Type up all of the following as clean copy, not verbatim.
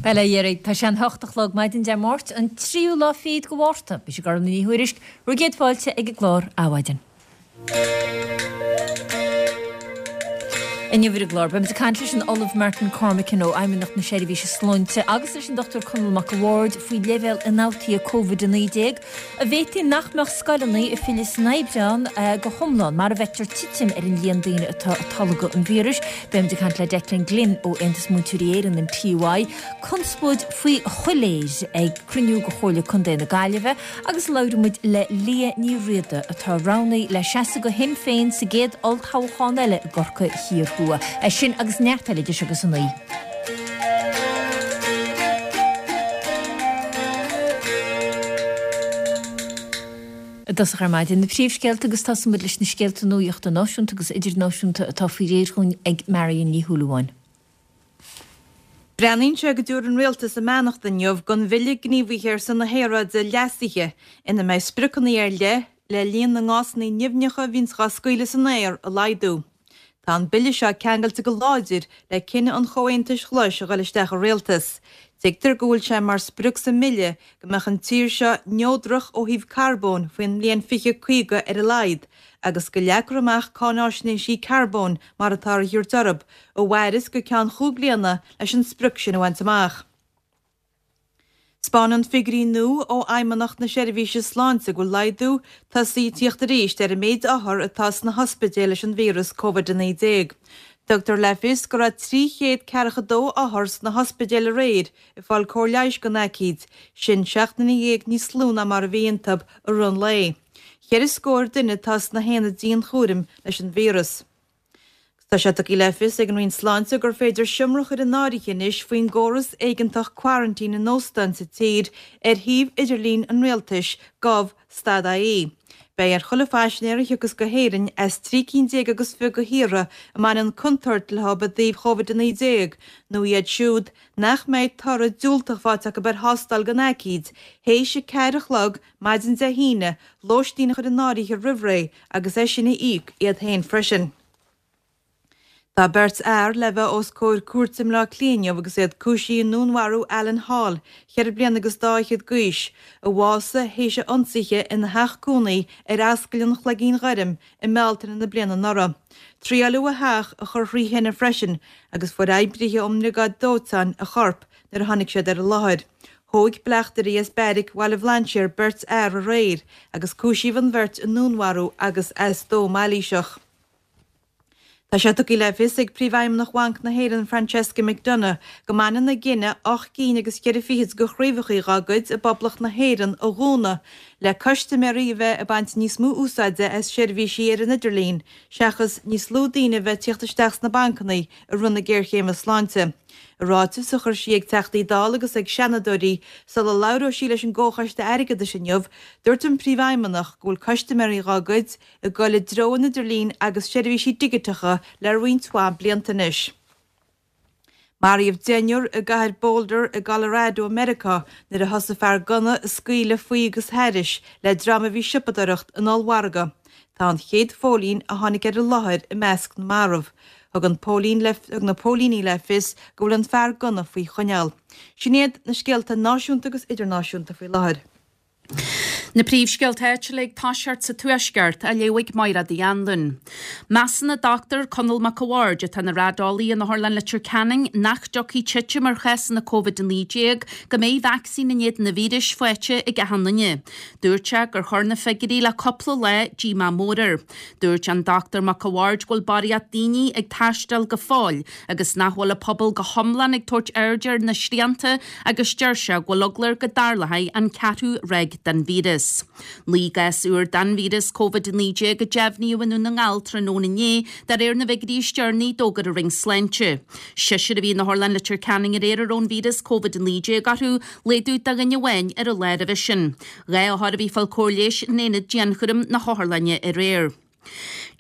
Bail ó Dhia oraibh. Tá sé an hocht a chlog maidin Dé Máirt, an tríú lá fichead de Mhárta. Mise Gormfhlaith Ní Thuairisg, bhur gcéad fáilte ag an gclár Adhmhaidin. Inniu ar an gclár, beimid ag caint leis an Ollamh Martin Cormican ó Fheidhmeannacht na Seirbhíse Sláinte agus leis an Dr Conall Mac a' Bhaird faoi leibhéal ionfhabhtaithe Covid-19. An bhféadfaí nach mbeadh scoileanna ag filleadh san Aibreán go hiomlán mar a bhfeictear titim ar an líon daoine atá ag tolgadh an víris. Beimid ag caint le Declan Glynn ó Aontas Múinteoirí Éireann, an TUI. Conspóid faoi choiléir ag cruinniú de Chomhairle Contae na Gaillimhe agus labhróidh muid le Liadh Ní Riada atá roghnaithe le seasamh do Shinn Féin sa gcéad olltoghchán eile i gCorcaigh Thiar Thuaidh. É sin agus neart eile idir seo agus a 9. I dtosach ar maidin, na príomhscéalta agus tosóidh muid leis na scéalta nuachta náisiúnta agus idirnáisiúnta atá faoi réir dhúinn ag Marion Ní Shúilleabháin. Breathnaíonn sé go dtabharfaidh an Rialtas a mbeannacht inniu don Bhille Gníomhaithe ar son na hAeráide leasaithe ina mbeidh spriocanna ar leith le líon na ngásanna nimhneacha a bhíonns dhá scaoileadh san aer a laghdú. Tá an bille seo ceangailte go láidir le cinneadh an Chomhaontais Ghlais a dhul isteach i rialtas. Tuigtear go bhfuil sé mar sprioc sa mbille go mbeadh an tír seo neodrach ó thaobh carbóin faoin mbliain 2050 ar a laghad agus go leagfar amach cáináisnéisí carbóin mar atáthar a thabhairt orthu, a mhairfeas go ceann chúig bliana leis an sprioc sin a bhaint amach. 'Spáineann figiúirí nua ó Fheidhmeannacht na Seirbhíse Sláinte go bhfuil laghdú tosaithe ag tíocht arís ar an méid othar atá sna hospidéil leis an víreas Covid-19. Tugtar le fios go raibh 342 othar sna hospidéil aréir ag fáil cóir leighis don aicíd, sin 17 nduine níos lú ná mar a bhí iontu i rith an lae. Cheithre scór duine atá sna haonaid dianchúraim leis an víreas. Tá sé tugtha le fios ag an Roinn Sláinte gur féidir seomra a chur in áirithe anois faoin gcóras éigeantach quarantine in óstáin sa tír ar shuíomh idirlín an Rialtais, gov. Stad ie. Beidh ar chuile phaisinéir a thiocfas go hÉirinn as 13 cinn agus 20 de thíortha a mbaineann contúirt leo i dtaobh Covid-19 nó iad siúd nach mbeidh toradh diúltach faighte acu ar thástáil don aicíd théis a ceathair a chlog maidin Dé hAoine, lóistín a chur in áirithe roimh ré agus é sin a íoc iad féin freisin. Tá beirt fhear le bheith os comhair cúirte i mBleá Cliath inniu agus iad cúisithe i ndúnmharú Alan Hall, cheithre bliana agus dá fhichead d'aois, a bhásaigh théis a ionsaithe ina theach cónaí ar Ascaill an Chloigín Ghoirm i mBealtaine na bliana anuraidh. Triaileadh a theach a chur thrí thine freisin agus fuair oibrithe ón mbriogáid dóiteáin a chorp nuair a tháinig siad ar an láthair. Thóig bleachtairí as beairic Bhaile Bhlainséir beirt fhear aréir agus cúisíodh an bheirt i ndúnmharú agus as dó mailíseach. Tá sé tugtha le fios ag Príomhfheidhmeannach Bhanc na hÉireann Francesca McDonagh go mbaineann a gcinneadh ocht gcinn agus cheithre fichid de chraobhacha dá gcuid i bPoblacht na hÉireann a dhúnadh le custaiméirí a bheith ag baint níos mó úsáide as seirbhísí ar an idirlíon seachas níos lú daoine a bheith ag tíocht isteach sna bancanna i rith na géarchéime sláinte. I ráiteas a chuir sí ag Teachtaí Dála agus ag Seanadóirí sula labhróidh sí leis an gComhchoiste Airgeadais inniu, dúirt an Príomhfheidhmeannach go bhfuil custaiméirí dhá gcuid ag dul i dtreo an idirlín agus seirbhísí digiteacha le roinnt mhaith blianta anois. Maraíodh deichniúr i gcathair Boulder i gColorado i Meiriceá nuair a thosaigh fear gunna ag scaoileadh faoi agus thairis le dream a bhí ag siopadóireacht in ollmhargadh. Tá an chéad phóilín a tháinig ar an láthair i measc na marbh. Thug an póilín le thug na póilíní le fios go bhfuil an fear gunna faoi choinneáil. Sin iad na scéalta náisiúnta agus idirnáisiúnta faoi láthair. Na príomhscéalta áitiúla ag toiseacht sa Tuaisceart, á léamh ag Máire Uí Anluain. Measann an Dr Conall Mac a' Bhaird, atá ina raideolaí in Otharlann Leitir Ceanainn, nach dtiocfaidh titim ar chásanna Covid-19 go mbeidh vacsaín in éadan an víris faighte ag achan duine. Dúirt sé gur chuir na figiúirí le cúpla lá díomá mór air. Dúirt an Dr Mac a' Bhaird go bhfuil barraíocht daoine ag taisteal go fóill agus nach bhfuil an pobal go hiomlán ag tabhairt aird ar na srianta agus deir sé go bhfuil eagla air go dtarlóidh an ceathrú ráig den víreas. 9 gcás úr den víreas Covid-19 a deimhníodh i nDún na nGall tráthnóna inné de réir na bhfigiúirí is deireanaí a d'fhógair an Roinn Sláinte. Seisear a bhí in Otharlann Leitir Ceanainn aréir a raibh an víreas Covid-19 orthu, Laghdú de dhuine amháin ar an lá roimhe sin. 2 othar a bhí ag fáil cóir leighis in aonad dianchúraim na hotharlainne aréir.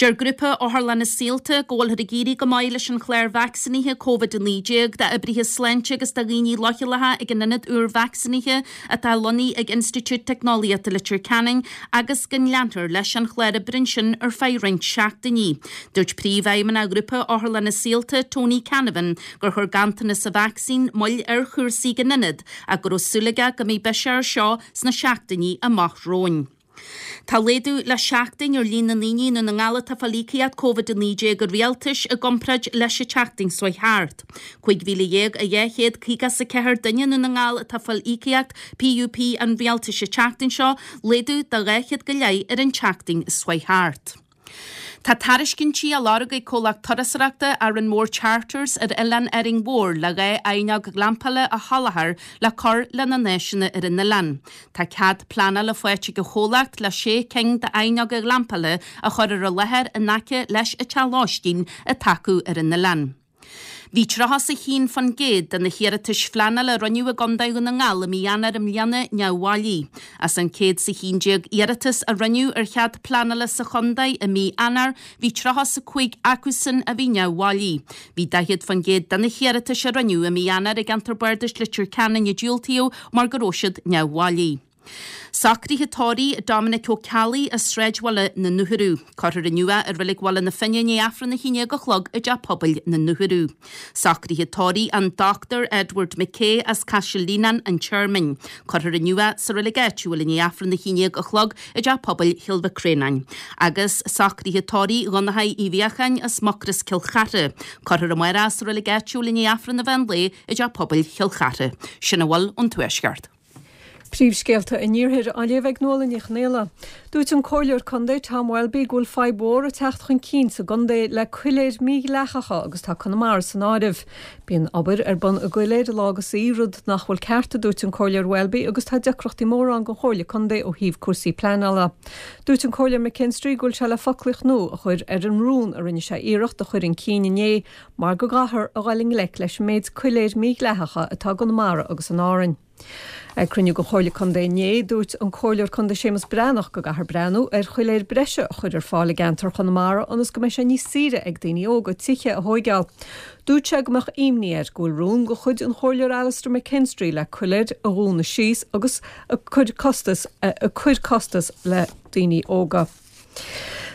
Deir Grúpa Otharlanna Saolta go bhfuilthear ag éirí go maith leis an chlár vacsaínithe Covid-19 d'oibrithe sláinte agus do dhaoine leochaileacha ag an ionad úr vacsaínithe atá lonnaithe ag Institiúid Teicneolaíochta Leitir Ceanainn agus go leanfar leis an chlár oibre ansin ar feadh roinnt seachtainí. Dúirt Príomhfheidhmeannach Ghrúpa Otharlanna Saolta, Tony Canavan, gur chuir ganntanas sa vacsaín moill ar chúrsaí ag an ionad ach go raibh súil aige go mbeidh biseach air seo sna seachtainí amach romhainn. Tá laghdú le seachtain ar líon na ndaoine i nDún na nGall atá ag fáil íocaíocht Covid-19 an Rialtais i gcomparáid leis an tseachtain seo thart. 15,254 duine i nDún na nGall atá ag fáil íocaíocht PUP an Rialtais an tseachtain seo, laghdú de 200 go leith ar an tseachtain seo thart. Tá tairiscintí á lorg ag comhlacht turasóireachta Arranmore Charters ar Oileán Árainn Mhór le 2 fhaighneog ghlampála a sholáthar le cur lena n-áiseanna ar an oileán. Tá cead pleanála faighte ag an chomhlacht le sé cinn d'fhaighneoga glampála a chur ar an láthair in aice leis an teach lóistín atá acu ar an oileán. Bhí 31% de na hiarratais phleanála a rinneadh i gContae Dhún na nGall i mí Eanáir i mbliana neamhbhailí. As an 111 iarratas a rinneadh ar chead pleanála sa chontae i mí Eanáir, bhí 35 acusan a bhí neamhbhailí. Bhí 40% de na hiarratais a rinneadh i mí Eanáir i gceantar Bardais Leitir Ceanainn a diúltaíodh mar go raibh siad neamhbhailí. Socruithe tórraimh Dominic Ó Ceallaigh as Sráidbhaile na nUrthadh. Cuirfear inniu é i Reilig Bhaile na Finne i ndiaidh Aifreann 11 a chlog i dTeach Pobail na nUrthadh. Socruithe tórraimh an Dr Edward McKay as Caiseal Líonáin, An Tearmainn. Cuirfear inniu é sa reilig áitiúil i ndiaidh Aifreann 11 a chlog i dTeach Pobail Chill Mhic Réanáin. Agus socruithe tórraimh Dhonnchaidh Uí Bheacháin as Mucros Cill Chartha. Cuirfear amárach é sa reilig áitiúil i ndiaidh Aifreann an mheán lae i dTeach Pobail Chill Chartha. Sin a bhfuil ón Tuaisceart. Príomhscéalta an Iarthair á léamh ag Nuala Ní Chonghaile. Dúirt an Comhairleoir Contae Tom Welby go bhfuil fadhb mhór ag teacht chun cinn sa gcontae le coiléir mídhleathacha agus tá Conamara san áireamh. Bíonn obair ar bun i gcoiléir lá agus oíche, rud nach bhfuil ceart, a dúirt an Comhairleoir Welby agus tá deacrachtaí móra ann don Chomhairle Contae ó thaobh cúrsaí pleanála. Dúirt an Comhairleoir McKinstry go bhfuil sé le foclaíocht nua a chur ar an rún a rinne sé iarracht a chur chun cinn inné mar go gcaithfear a dhul i ngleic leis an méid coiléir mídhleathacha atá i gConamara agus in Árainn. Ag cruinniú den Chomhairle Contae inné, dúirt an Comhairleoir Contae Séamus Breathnach go gcaithfear breathnú ar choiléir breise a chur ar fáil i gceantar Chonamara ionas go mbeidh sé níos saoire ag daoine óga tithe a thóigeáil. Dúirt sé go mbeadh imní air go bhfuil rún de chuid an Chomhairleoir Alastair McKinstry le coiléir a dhúnadh síos agus ag cur costas ag cur costas le daoine óga.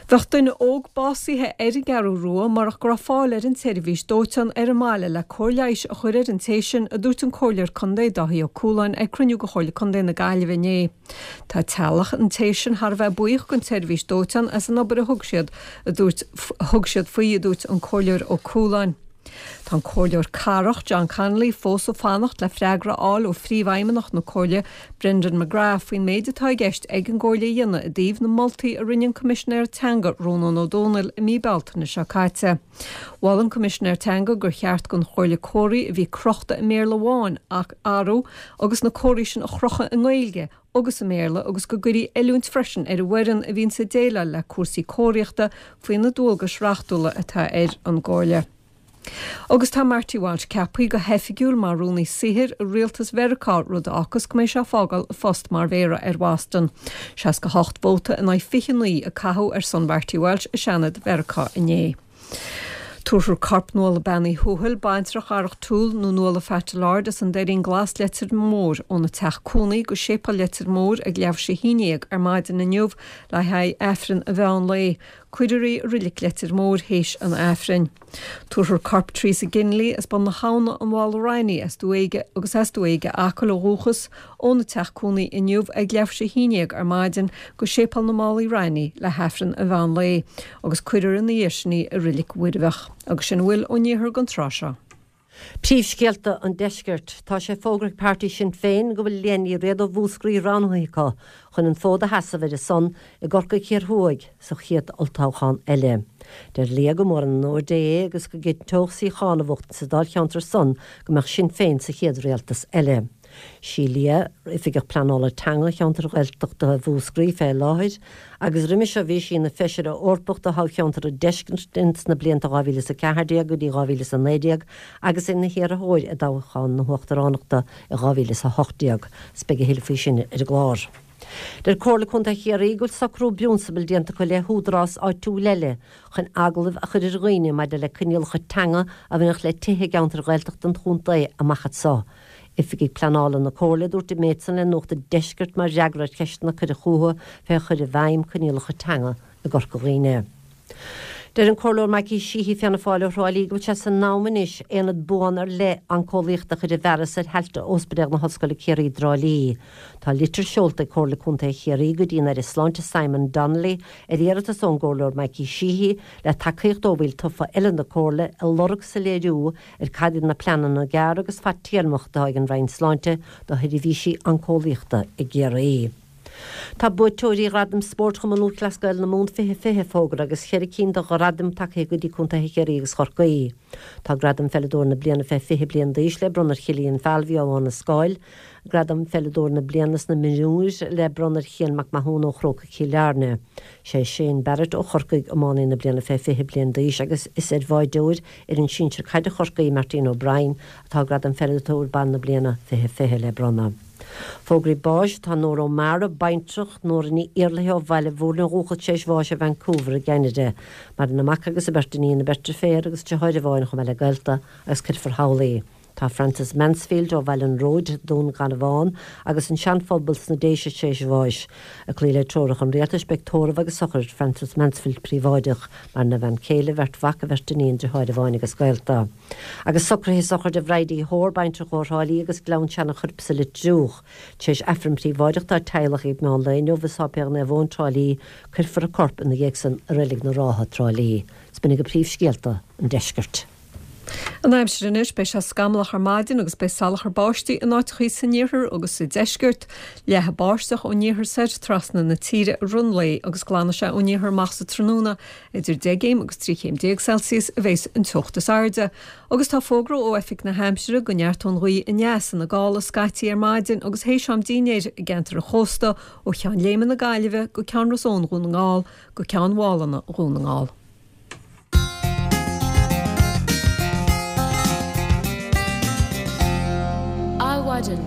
Bheadh duine óg básaithe ar an gCeathrú Rua murach go raibh fáil ar an tseirbhís dóiteáin ar an mbaile le cóir leighis a chur ar an té sin, a dúirt an Comhairleoir Contae Dáithí Ó Cualáin ag cruinniú de Chomhairle Contae na Gaillimhe inné. Tá teaghlach an té sin thar a bheith buíoch den tseirbhís dóiteáin as an obair a thug siad, a dúirt thug siad faoi, a dúirt an Comhairleoir Ó Cualáin. Tá an Comhairleoir Cathrach, John Connolly, fós ag fanacht le freagra a fháil ó Phríomhfheidhmeannach na Comhairle, Brendan McGrath, faoin méid atá i gceist ag an gComhairle a dhéanamh i dtaobh na moltaí a rinne an Coimisinéir Teanga, Rónán Ó Domhnaill, i mí Bealtaine seo caite. Mhol an Coimisinéir Teanga gur cheart don Chomhairle comharthaí a bhí crochta i mBéarla amháin a athrú agus na comharthaí sin a chrochadh i nGaeilge agus i mBéarla agus go gcuirfí oiliúint freisin ar an bhfoireann a bhíonns ag déileáil le cúrsaí comharthaíochta faoi na dualgais reachtúla atá ar an gComhairle. Agus tá Marty Walsh ceaptha go hoifigiúil mar Rúnaí Saothair i rialtas Mheiriceá, rud a fhágfas go mbeidh sé ag fágáil a phost mar Mhéara ar Bhoston. 68 vóta in aghaidh 29 a caitheadh ar son Mharty Walsh i Seanad Mheiriceá inné. Tabharfar corp Nuala Bean Uí Thuathail, baintreach Dharach Toole nó Nuala Phat Lord as an Doirín Glas Leitir Móir óna teach cónaí go Séipéal Leitir Móir ag leathuair tar éis a haon déag ar maidin inniu le haghaidh Aifreann an mheán lae. Cuirfear í i Reilig Leitir Móir théis an Aifrinn. Tabharfar corp Teresa Ginley as Bun na hAbhna, An Mhála Raithní as Dumha Éige agus as Dumha Éige Acaill ó dhúchas, óna teach cónaí inniu ag leathuair tar éis a haon déag ar maidin go Séipéal na Málaí Raithní le hAifreann an mheán lae agus cuirfear ina dhiaidh sin í i Reilig Mhuirbheach. Agus sin a bhfuil ón iarthar don tráth seo. Príomhscéalta an Deiscirt. Tá sé fógartha ag páirtí Sinn Féin go bhfuil Liadh Ní Riada ó Mhúscraí roghnaithe acu chun an fód a sheasamh ar a son i gCorcaigh Thiar Thuaidh sa chéad olltoghchán eile. Deir Liadh gur mór an onóir di é agus go gcinnteodh suíochán a bhuachtaint sa dáilcheantar san go mbeadh Sinn Féin sa chéad rialtas eile. Sí Liadh Oifigeach Pleanála Teanga cheantar Ghaeltachta Mhúscraí fé láthair agus roimhe seo bhí sí ina Feisire Eorpach do thoghcheantar an Deiscirt ins na blianta 2014 go dtí 2019 agus ina hiarrthóir i dtoghchán na hUachtaránachta i 2018. 'S beidh a thuilleadh faoi sin ar an gclár. Deir Comhairle Contae Chiarraí go bhfuil socrú i bprionsabal déanta acu le húdarás áitiúil eile chun agallamh a chur ar dhaoine maidir le coinníollacha teanga a bhainfeadh le tithe i gceantair Ghaeltachta an chontae amach anso. Oifigigh Pleanála na Comhairle a dúirt an méid san le Nuacht an Deiscirt mar fhreagra ar cheisteanna a cuireadh chucu fé chur i bhfeidhm coinníollacha teanga i gCorca Dhuibhne. Deir an Comhairleoir Mikey Sheehy, Fianna Fáil ó Thrá Lí go bhfuil sé san am anois aonad buan ar leith oncólaíochta a chur i bhfearas ar thailte Ospidéal na hOllscoile Ciarraí i dTrá Lí. Tá litir seolta ag Comhairle Contae Chiarraí go dtí an Aire Sláinte Simon Donnelly ar iarratas ón gComhairleoir Mikey Sheehy le tacaíocht ó bhaill tofa eile na Comhairle ag lorg soiléiriú ar cad iad na pleananna gearr agus fadtéarmach atá ag an Roinn Sláinte do sheirbhísí oncólaíochta i gCiarraí. Tá buaiteoirí Ghradaim Spóirt Chumann Lúthchleas Gael na Mumhan 2020 fógartha agus cheithre cinn de ghradaim tagtha go dtí contaetha Chiarraí agus Chorcaí. Tá Gradam Pheileadóir na Bliana fé 20 bliain d'aois le bronnadh ar Chillian Falvey ó Abha na Scáil, Gradam Pheileadóir na Bliana sna Mionúir le bronnadh ar Chian Mac Mathúna ó Chrócaigh Chill Airne. Sé Shane Barrett ó Chorcaigh iománaí na bliana fé 20 bliain d'aois agus is ar bháideoir fhoireann sinsir caide Chorcaí, Martina O'Brien, atá Gradam Pheileadóir Ban na Bliana 2020 le bronnadh. Fógraí báis, Tá Nóra O'Mara, baintreach, Nóra Ní Iarlaithe ó Bhaile Mhúirne ó dhúchas tar éis bháis i Vancouver i gCeanada. Maireann a mac agus a beirt iníon, a beirt deirféar agus deartháir amháin chomh maith le gaolta agus cuirfear thall í. Tá Frances Mansfield ó Bhaile an Róid, Dún Garbhán agus an Seanphobal sna Déise tar éis bháis. Ag cloí le treoracha an Rialtais beidh tórramh agus sochraid Frances Mansfield príobháideach. Maireann a bhean céile, a bheirt mhac, a bheirt iníon, deartháir amháin agus gaolta. Agus socruithe sochraide Bhridie Hoare, baintreach ó Thrá Lí agus Gleann Seanachoirp sa Leitir Triúch. Tar éis Aifreann príobháideach dá teaghlach ag meán lae inniu i Sáipéal Naomh Eoin, Trá Lí, cuirfear a corp ina dhiaidh san i Reilig na Rátha, Trá Lí. 'S b'in agaibh príomhscéalta an deiscirt. An aimsir anois, beidh sé scamallach ar maidin agus beidh salachar báistí in áiteachaí san iarthar agus sa deisceart. Leathfaidh báisteach ón iarthar soir trasna na tíre i rith an lae agus glanfaidh sé ón iarthar amach sa tráthnóna. Idir 10 gcéim agus 13 chéim Celsius a bheas an teocht is airde, agus tá fógra ó Oifig na hAimsire go neartóidh an ghaoth aneas ina gála scaití ar maidin agus théis am dínnéir i gceantar an chósta ó Cheann Léime na Gaillimhe go Ceann Ros Eoin Dhún na nGall go Ceann Mhálanna Dhún na nGall. Adhmhaidin.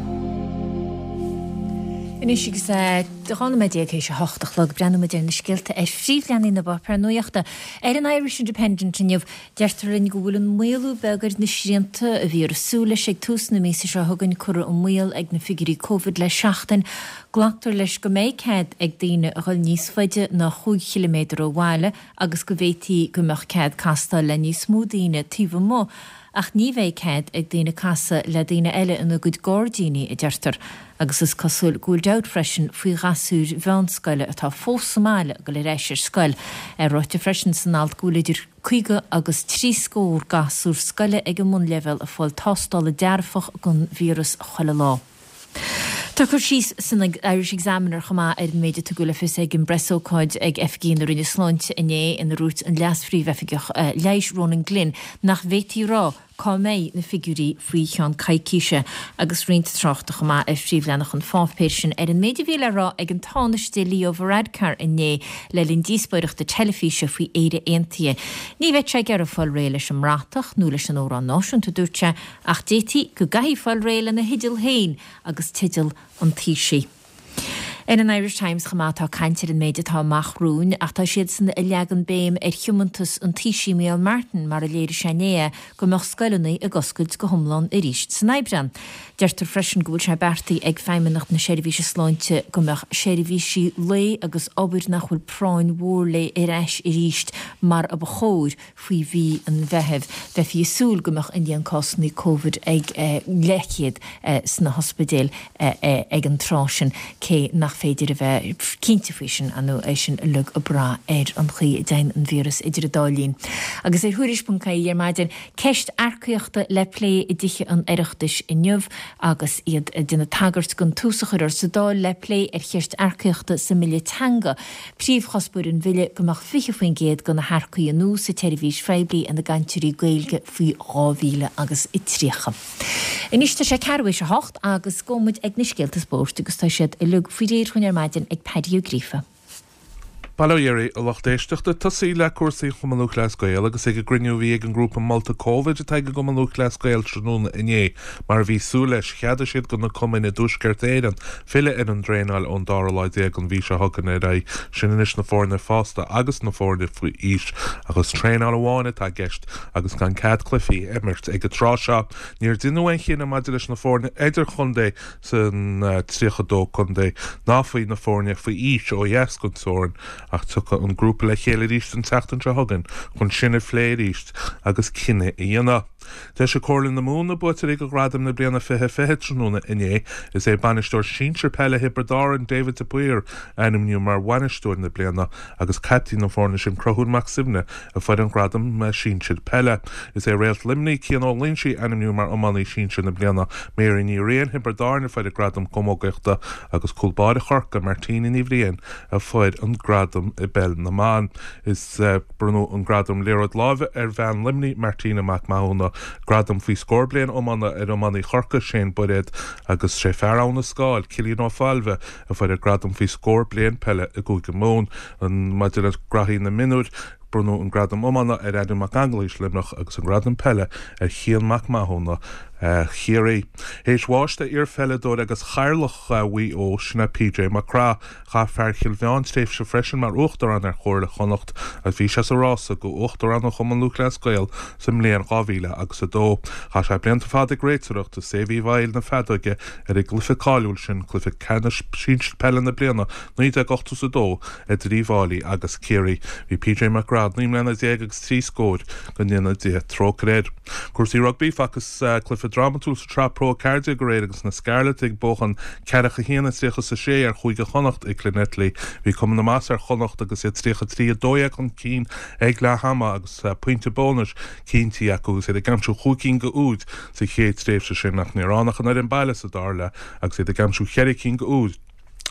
Anois agus é 12 nóiméad théis a hocht a chlog, breathnóidh muid ar na scéalta ar phríomhleathanaigh na bpáipéar nuachta. Ar an Irish Independent inniu, deirtear linn go bhfuil an maolú beag ar na srianta a bhíothar ag súil leis ag tús na míosa seo chugainn curtha i mbaol ag na figiúirí Covid le seachtain. Glactar leis go mbeidh cead ag daoine a dhul níos faide ná chúig chiliméadar ó bhaile agus go bhféadfaí go mbeadh cead castáil le níos mó daoine taobh amuigh Ach ní bheidh cead ag daoine casadh le daoine eile ina gcuid gairdíní, a deirtear, agus is cosúil go bhfuil dabht freisin faoi ghasúir mheánscoile atá fós sa mbaile ag dul ar ais ar scoil. Ráite freisin san alt go bhfuil idir 50 agus 30 scór gasúr scoile ag an mbunleibhéal ag fáil tástála dearfach don víreas chuile lá. Tá cur síos san Irish Examiner chomh maith ar an méid a tugadh le fios ag an bpreasócáid ag oifigí na Roinne Sláinte inné ina ndúirt an Leas-Phríomhoifigeach Leighis Ronan Glynn nach bhféadfaí a rá cá mbeidh na figiúirí faoi cheann coicíse agus roinnt tráchta chomh maith ar phríomhleathanach an pháipéir sin ar an méid a bhí le rá ag an Tánaiste Leo Varadkar inné le linn díospóireachta teilifíse faoi Éire Aontaithe. Ní bheadh sé ag iarraidh fáil réidh leis an mbratach nó leis an amhrán náisiúnta, a dúirt sé, Ach d'fhéadfaí go gcaithfí fáil réidh lena theideal féin agus teideal an Taoisigh. Ar an Irish Times chomh maith tá caint ar an méid atá amach romhainn ach tá siadsan ag leagan béim ar thiomantas an Taoisigh Micheál Martin mar a léirigh sé inné é go mbeadh scoileanna ag oscailt go hiomlán arís san Aibreán. Deirtear freisin go bhfuil sé beartaithe ag Feidhmeannacht na Seirbhíse Sláinte go mbeadh seirbhísí lae agus obair nach bhfuil práinn mhór léi ar ais arís mar a ba chóir Faoi mhí an Mheithimh, bheifí ag súil go mbeadh an líon cásanna Covid ag leathchéad sna hospidéil ag an tráth sin, cé nach féidir a bheith cinnte faoi sin, ar ndóigh, é sin uilig ag brath ar an chaoi a dtéann an víreas idir an dá linn. Agus ar Thuairisc.ie ar maidin, ceist earcaíochta le plé i dTithe an Oireachtais inniu agus iad ag déanamh tagairt don tús a cuirfear sa Dáil le plé ar cheist earcaíochta sa mBille Teanga. Príomhchuspóir an bhille go mbeadh 20% de na hearcaigh nua sa tseirbhís phoiblí ina gcainteoirí Gaeilge faoi 2030. Anois tá sé ceathrú théis a hocht agus gabhfaidh muid ag na scéalta spóirt agus tá siad uilig faoi réir dhúinn ar maidin ag Paddy Ó Gríofa. Bail ó Dhia oraibh, a lucht éisteachta. Tosaí le cúrsaí an Chumann Lúthchleas Gael agus ag an gcruinniú a bhí ag an ngrúpa molta Covid atá ag an gCumann Lúthchleas Gael tráthnóna inné, mar a bhí súil leis, cheadaigh siad do na cumainn i dTuaisceart Éireann filleadh ar an dtraenáil ón dara lá déag den mhí seo chugainn ar aghaidh, sin anois na foirne fásta agus na foirne faoi aois, ach is traenáil amháin atá i gceist agus gan cead cluichí a imirt ag an tráth seo. Níor deineadh aon chinneadh maidir leis na foirne idirchontae san 32 contae ná faoi na foirne faoi aois ó dheas den teorainn ach tiocfaidh an grúpa le chéile arís an tseachtain seo chugainn chun sin a phlé arís agus cinneadh a dhéanamh. D'eisigh Comhairle na Mumhan na buaiteoirí do Ghradaim na bliana 2020 tráthnóna inné. Is é bainisteoir sinsir peile Thiobraid Árann, David de Paor, a ainmníodh mar Bhainisteoir na Bliana agus caiptín na foirne sin, Conchúr Mac Suibhne, a fuair an gradam sinsir peile. Is é réalt Luimnigh, Cian Ó Loingsigh, a ainmníodh mar Iománaí Sinsir na Bliana. Mary Ní Riain, Thiobraid Árann, a fuair an gradam camógaíochta agus cúl báire Chorcaí, Martina Ní Bhriain, a fuair an gradam i bpeil na mban. Is bronnadh an gradam liathróid láimhe ar bhean Luimnigh, Martina Mac Mathúna, gradam faoi scór bliain iomána ar iománaí Chorcaí, Shane Bairéad, agus sé fear Abha na Scáil, Cillian Ó Failbhe, a fuair an gradam faoi scór bliain peile i gCúige Mumhan. Maidir le graithí na mionúir, bronnadh an gradam iomána ar Adam Mac Aonghuis, Luimneach, agus an gradam peile ar Chian Mac Mathúna, Chiarraí. Théis bháis d'iar-pheileadóir agus Chathaoirleach Mhaigh Eo, sin é PJ Mac Craith. Chaith fear Chill Mheáin tréimhse freisin mar Uachtarán ar Chomhairle Chonnacht agus bhí sé sa rása do Uachtarán an Chumann Lúthchleas Gael sa mbliain 2000 agus 2. Chaith sé blianta fada ag réiteoireacht is é a bhí i bhfeighil na feadóige ar an gcluiche cáiliúil sin, cluiche ceannais sinsir peile na bliana 1982 idir Uíbh Fháilí agus Ciarraí. Bhí PJ Mac Craith 19 mbliana agus trí scóir, go ndéana Dia trócaire air. Cúrsaí rugbaí, Facthas cluiche drámatúil sa tSraith Pro 14 aréir agus na Scarlets ag buachan ceathracha 1 a 36 ar Chúige Chonnacht i Llanelli. Bhí cuma na maitheasa ar Chonnacht agus iad 33 12 chun cinn ag leath ama agus pointe bónais cinntithe acu agus iad ag aimsiú chúig cinn de úid sa chéad tréimhse sin ach níor fhan ach an fhoireann baile sa dara leath agus iad ag aimsiú cheithre cinn de úid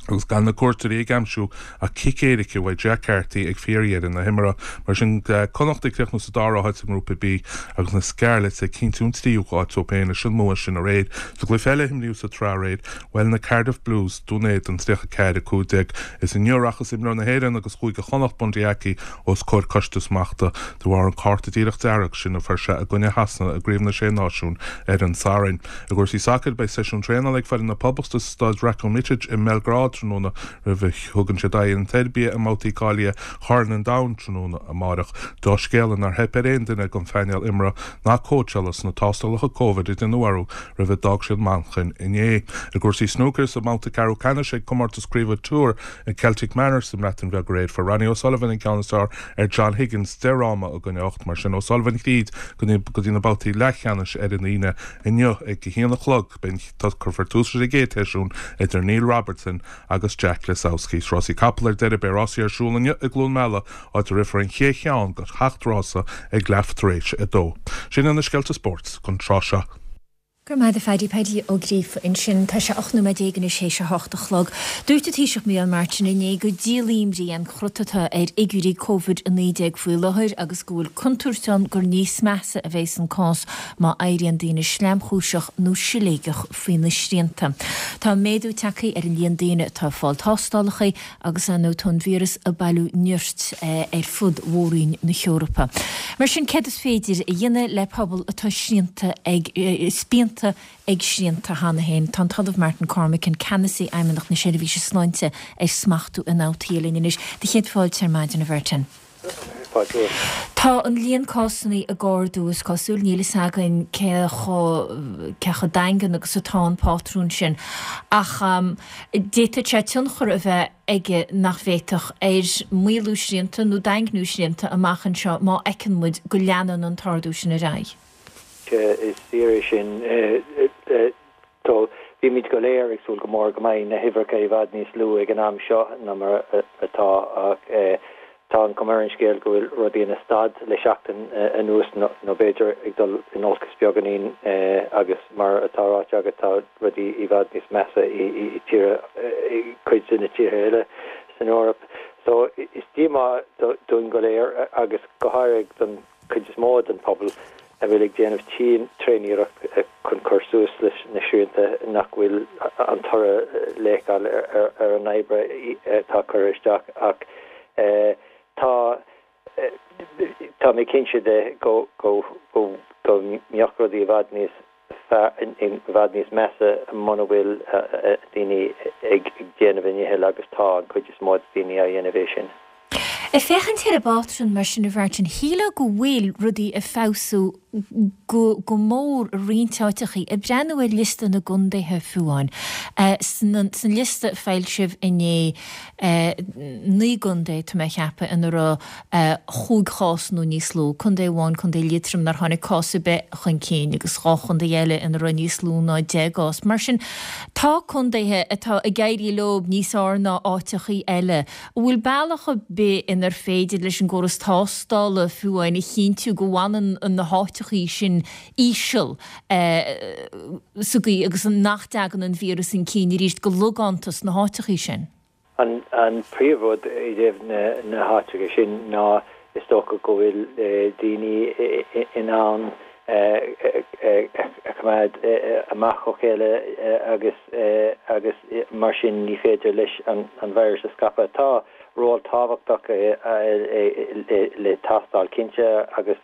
agus gan na cuairteoirí ag aimsiú ach cic éirice uaidh Jack Carty ag fíordheireadh na himeartha. Mar sin, Connacht ag críochnú sa dara háit i nGrúpa B agus na Scarlets ag cinntiú an tríú háit dóibh féin leis an mbua sin aréir. Sa gcluiche eile a himríodh sa tsraith aréir, bhuail na Cardiff Blues Dún Éideann 34, 15. Is inniu a rachas imreoir na hÉireann agus Chúige Chonnacht, Bundee Aki, os comhair coiste smachta de bharr an cárta díreach dearg sin a fuair sé i gcoinne Shasana i gCraobh na Sé Náisiún ar an Satharn. I gcúrsaí sacair, beidh seisiún traenála ag foireann na Poblachta sa staid Ratko Mitic i mBeilgrád tráthnóna roimh a thugann siad aghaidh ar an tSeirbia i mbabhtaí cáilithe Chorn an Domhain tráthnóna amárach. Drochscéala nár theip ar aon duine den phainéal imeartha ná cóitseála sna tástálacha Covid a déanadh orthu roimh a d'fhág siad Manchain inné. I gcúrsaí snúcair, sa mbabhta ceathrú ceannais ag Comórtas Craoibhe Tour i Celtic Manor sa mBreatain Bheag aréir, fuair Ronnie O'Sullivan an ceann is fearr ar John Higgins, 10 fhráma i gcoinne 8. Mar sin, O'Sullivan thríd go dtí na babhtaí leathcheannais ar an Aoine inniu ag a haon a chlog. Beidh cuirfear tús leis an gcéad sheisiún idir Neil Robertson agus Jack Lisowski. Is rásaí capall ar deireadh, beidh rásaí ar siúl inniu i gCluain Meala, áit a rithfear an chéad cheann de sheacht rása ag leath tar éis a dó. Sin iad na scéalta spóirt don tráth seo. Go raibh maith agat a Phaddy, Paddy Ó Gríofa ansin. Tá sé 18 nóiméad anois théis a hocht a chlog. Dúirt an Taoiseach Micheál Martin inné gur díol imní an crot atá ar fhigiúirí Covid-19 faoi láthair agus go bhfuil contúirt ann gur níos measa a bheas an cás má éiríonn daoine sleamchúiseach nó siléigeach faoi na srianta. Tá méadú tagtha ar an líon daoine atá ag fáil tástálacha Agus ar ndóigh tá an víreas ag bailiú nirt ar fud mhór-roinn na hEorpa. Mar sin céard is féidir a dhéanamh le pobal atá srianta ag, spíonta ag srianta cheana féin? Tá an tOllamh Martin Cormican, Ceannasaí Fheidhmeannacht na Seirbhíse Sláinte ar Smachtú Ionfhabhtuithe linn anois. Do chéad fáilte ar maidin, a Mhartin. Tá an líon cásanna ag ardú, is cosúil. Níl fhios againn cé chomh cé chomh daingean agus atá an pátrún sin. Ach d'fhéadfadh sé tionchar a bheith aige nach bhféadfadh ar mhaolú srianta nó daingniú srianta amach anseo má fheiceann muid go leanann an t-ardú sin ar aghaidh. Is fíor é sin. Bímid go léir ag súil go mór go mbeidh na huimhreacha i bhfad níos lú ag an am seo ná mar atá ach tá an chuma ar an scéal go bhfuil rudaí ina stad le seachtain anuas nó b'fhéidir ag dul in olcas beagáinín agus mar atá ráite agat tá rudaí i bhfad níos measa i tíortha, i gcuid de na tíortha eile san Eoraip. So is díomá dúinn go léir agus go háirithe don chuid is mó den phobal a bhfuil ag déanamh tréaniarracht chun cur suas leis na srianta nach bhfuil an toradh le feiceáil ar an obair atá curtha isteach ach. Tá tá mé cinnte de go go go go mbeadh rudaí i bhfad níos i bhfad níos measa muna bhfuil daoine ag déanamh a ndicheall agus tá an chuid is mó de daoine á dhéanamh é sin. Ag féachaint ar an bpátrún mar sin a Mhartin, shílfeá go bhfuil rudaí ag feabhsú go go mór i roinnt áiteachaí. Ag breathnú ar liosta na gcontaetha fiú amháin, san liosta a foilsíodh inné, 9 gcontae, tá mé a cheapadh, ina raibh chúig chás nó níos lú, contae amháin, Contae Liatroim, nár tháinig cás ar bith chun cinn agus dhá chontae eile ina raibh níos lú ná 10 gcás. Mar sin, tá contaetha atá ag éirí leo níos fearr ná áiteachaí eile. An bhfuil bealach ar bith inar féidir leis an gcóras tástála fiú amháin a chinntiú go bhfanann na háiteachaí sin íseal sa gcaoi agus nach dtagann an víreas chun cinn arís go logánta sna háiteachaí sin? An príomhrud i dtaobh na háiteacha sin ná is dócha go bhfuil daoine in ann a choimeád amach ó chéile agus agus mar sin ní féidir leis an virus a scaipeadh. Tá ról tábhachtach le tástáil cinnte agus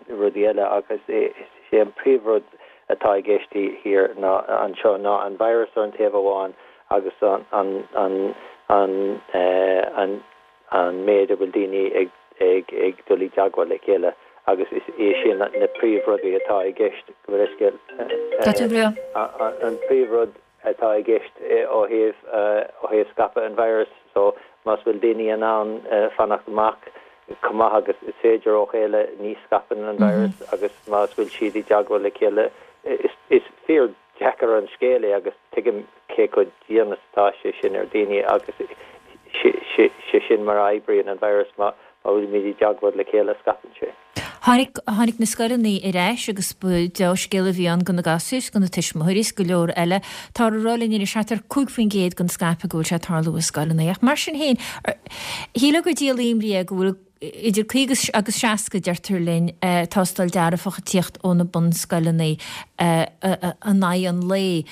rudaí eile agus is é an príomhrud atá i gceist thiar ná anseo ná an virus ar an taobh amháin agus an méid a bhfuil daoine ag dul i dteagmháil le chéile agus is é sin na príomhrudaí atá i gceist, gabh mo leithscéal, an príomhrud atá i gceist ó thaobh ó thaobh scaipeadh an virus so más bhfuil daoine in ann fanacht amach chomh maith agus is féidir ó chéile ní scaipeann an virus agus más bhfuil siad i dteagmháil le chéile is fíor deacair an scéal é agus tuigim cé chomh dian is atá sé sin ar daoine agus sé sin mar a oibríonn an virus, má bhfuilimid i dteagmháil le chéile scaipeann sé. Tháinig, tháinig na scoileanna ar ais agus ba deá-scéal a bhí ann do na gasúir, do na tuismitheoirí is go leor eile. Táthar ag rá linn anois thart ar 5% den scaipeadh go bhfuil sé ag tarlú i scoileanna. Ach mar sin féin, shílfeá gur díol imní é go bhfuil Idir 50 agus 60, deirtear linn, tástáil dearfach ag tíocht ó na bunscoileanna in aghaidh an lae.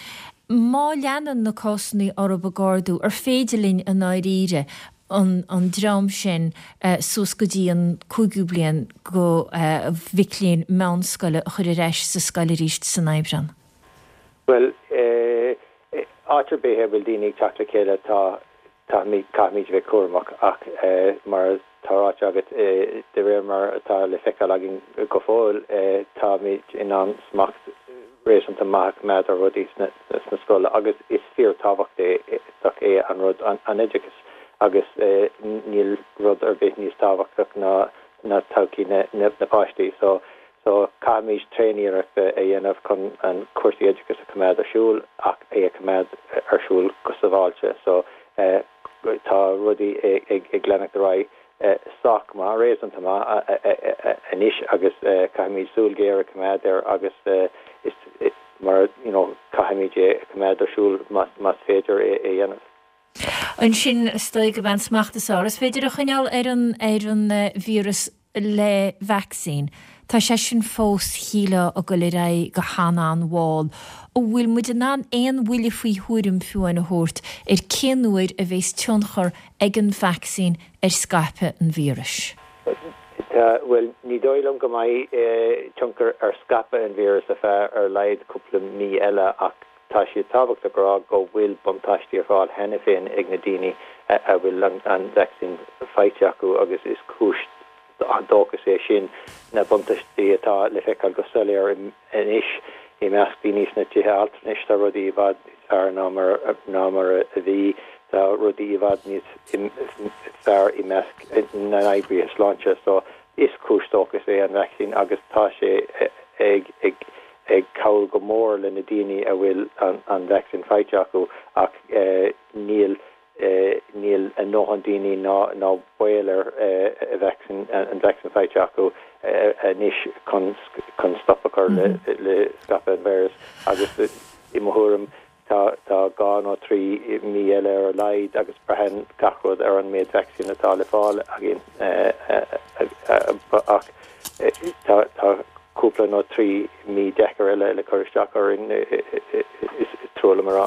Má leanann na cásanna orthu ag ardú, ar féidir linn i ndáiríre an dream sin suas go dtí an cúigiú bliain go mhic léinn meánscoile a chur ar ais sa scoil arís san Aibreán? Bhuel, áit ar bith a bhfuil daoine ag teacht le chéile tá Caithfimid, caithfimid a bheith cúramach ach mar atá ráite agat, de réir mar atá le feiceáil againn go fóill, táimid in ann smacht réasúnta maith a choimeád ar rudaí sna scoileanna agus is fíorthábhachtach é an rud, an oideachas agus níl rud ar bith níos tábhachtach ná ná todhchaí na na páistí. So So, caithfimid tréaniarracht a dhéanamh chun an cúrsaí oideachais a choimeád ar siúl ach é a choimeád ar siúl go sábháilte. So, tá rudaí ag leanacht ar aghaidh sách maith, réasúnta maith anois agus caithfimid súil ghéar a choimeád air agus is mar, you know, caithfimid é a choimeád ar siúl más féidir é a dhéanamh. Ansin, is dóigh gurb é an smacht is fearr is féidir a choinneáil ar an ar an víreas le vacsaín. Tá sé sin fós, shílfeá, ag dul ar aghaidh go han-an-mhall. An bhfuil muid in ann aon bhuille faoi thuairim fiú amháin a thabhairt ar cén uair a bheas tionchar ag an vacsaín ar scaipeadh an víris? Tá, bhuel, ní dóigh liom go mbeidh tionchar ar scaipeadh an víris ar feadh ar a laghad cúpla mí eile ach Tá sé tábhachtach a rá go bhfuil buntáistí ar fáil cheana féin ag na daoine a bhfuil an vacsaín faighte acu agus is cúis dóchais é sin na buntáistí atá le feiceáil go soiléir anois i measc daoine sna tithe altranais. Tá rudaí i bhfad níos fearr ná mar ná mar a bhí. Tá rudaí i bhfad níos fearr i measc na n-oibrithe sláinte. So is cúis dóchais é an vacsaín agus tá sé ag ag ag cabhrú go mór le na daoine a bhfuil an vacsaín faighte acu ach níl níl a ndóthain daoine ná ná baol air vacsaín an vacsaín faighte acu anois chun chun stop a chur le le scaipeadh an virus agus i mo thuairim Tá dhá nó 3 mí eile ar a laghad agus braitheann gach rud ar an méid vacsaín atá le fáil againn ach tá cúpla nó 3 mí deacair eile le cur isteach orainn, is trua liom a rá.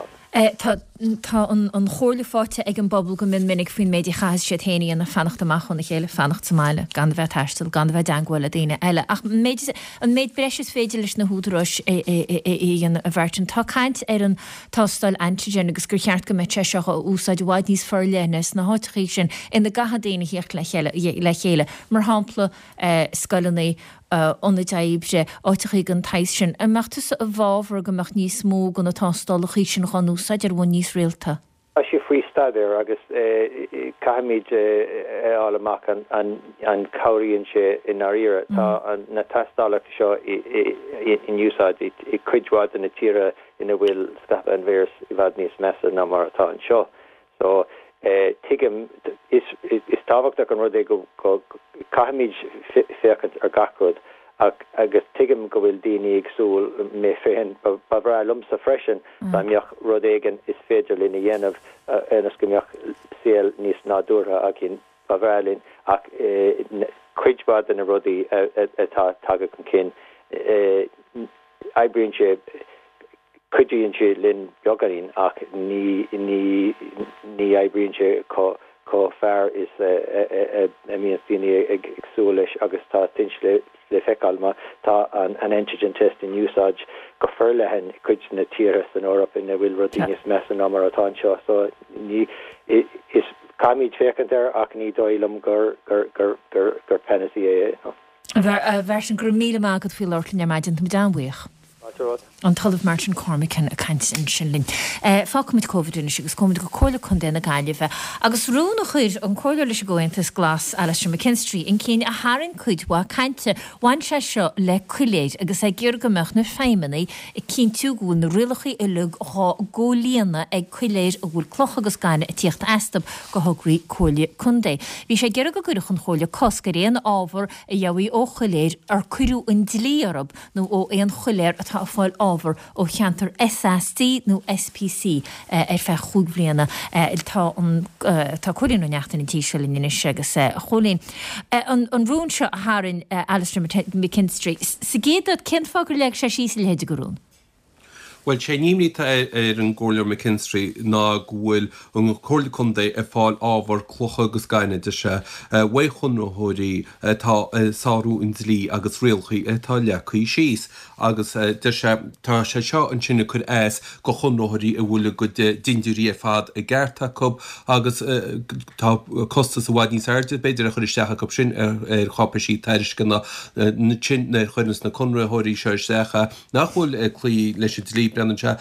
Tá. Tá an chomhairle faighte ag an bpobal go mion minic faoin méid a chaithfeas siad féin a dhéanamh, fanacht amach óna chéile, fanacht sa mbaile, gan a bheith ag taisteal, gan a bheith i dteangmháil le daoine eile. Ach an méid, an méid breise is féidir leis na húdaráis a dhéanamh, a Mhartin, tá caint ar an tástáil antigen agus gur cheart go mbeadh sé seo á úsáid i bhfad níos forleithne sna háiteachaí sin ina gcaithfidh daoine theacht le chéile, mar shampla scoileanna, ionaid oibre, áiteachaí den tsaghas sin. An mbeadh tusa i bhfabhar go mbeadh níos mó de na tástálachaí sin dhá n-úsáid ar bhonn níos rialta? Tá sé faoi staidéar agus caithfimid a fháil amach an cabhraíonn sé i ndáiríre. Tá na tástálacha seo in úsáid i cuid mhaith de na tíortha ina bhfuil scaipeadh an víris i bhfad níos measa ná mar atá anseo. So, tuigim, is tábhachtach an rud é go caithfimid féachaint ar gach rud ach agus tuigim go bhfuil daoine ag súil, mé féin, ba bhreá liomsa freisin dá mbeadh rud éigin is féidir linn a dhéanamh ionas go mbeadh saol níos nádúrtha againn, ba bhreá linn ach cuid mhaith de na rudaí atá tagtha chun cinn, oibríonn sé. Cuidíonn sé linn beagáinín ach ní ní ní oibríonn sé chomh chomh fearr is a mbíonns daoine ag súil leis agus tá sin le le feiceáil má tá an an antigen test in úsáid go forleathan i cuid de na tíortha san Eoraip ina bhfuil rudaí níos measa ná mar atá anseo so ní is caithfimid féachaint air ach ní dóigh liom gur gur gur gur gur panacea é no. A Mhartin, go raibh míle maith agat faoi labhairt linn ar maidin, tá muid an-bhuíoch. Fáilte romhat. An tOllamh Martin Cormican ag caint ansin linn. Fágfaimid Covid anois agus gabhfaimid go Comhairle Contae na Gaillimhe agus rún a chuir an Comhairleoir leis an gComhaontas Glas, Alastair McKinstry, chun cinn a tharraing cuid mhaith cainte. Bhain sé seo le coiléir agus é ag iarraidh go mbeadh na feidhmeannaigh ag cinntiú go bhfuil na rialacha uilig dhá gcomhlíonadh ag coiléir a bhfuil clocha agus gaineamh ag tíocht astu do thograí Comhairle Contae. Bhí sé ag iarraidh go gcuirfeadh an Chomhairle cosc ar aon ábhar a gheobhaí ó choiléir ar cuireadh an dlí orthu nó ó aon choiléar atá ag fáil ábhar ó cheantar SAC nó SPC ar feadh chúig bhliana. Tá an tá Cóilín Ó Neachtain an tí seo linn anois agus a Chóilín, an rún seo a tharraing Alastair McKinstry, sa gcéad áit, cén fáth gur leag sé síos a leithéid de rún? Bhuel, sé an imní atá ar an gComhairleoir McKinstry ná go bhfuil an Chomhairle Contae ag fáil ábhar clocha agus gainimh, deir sé, uaidh chonraitheoirí atá ag sárú an dlí agus rialacha atá leagtha síos. Agus deir sé, tá sé seo ansin ag cur as go chonraitheoirí a bhfuil a gcuid dindiúirí ar fad i gceart acu agus tá costas i bhfad níos airde b'fhéidir á chur isteach acu sin ar cháipéisí tairisceana ansin nuair a chuireanns na conraitheoirí seo isteach nach bhfuil ag cloí leis an dlí, breathnaíonn sé,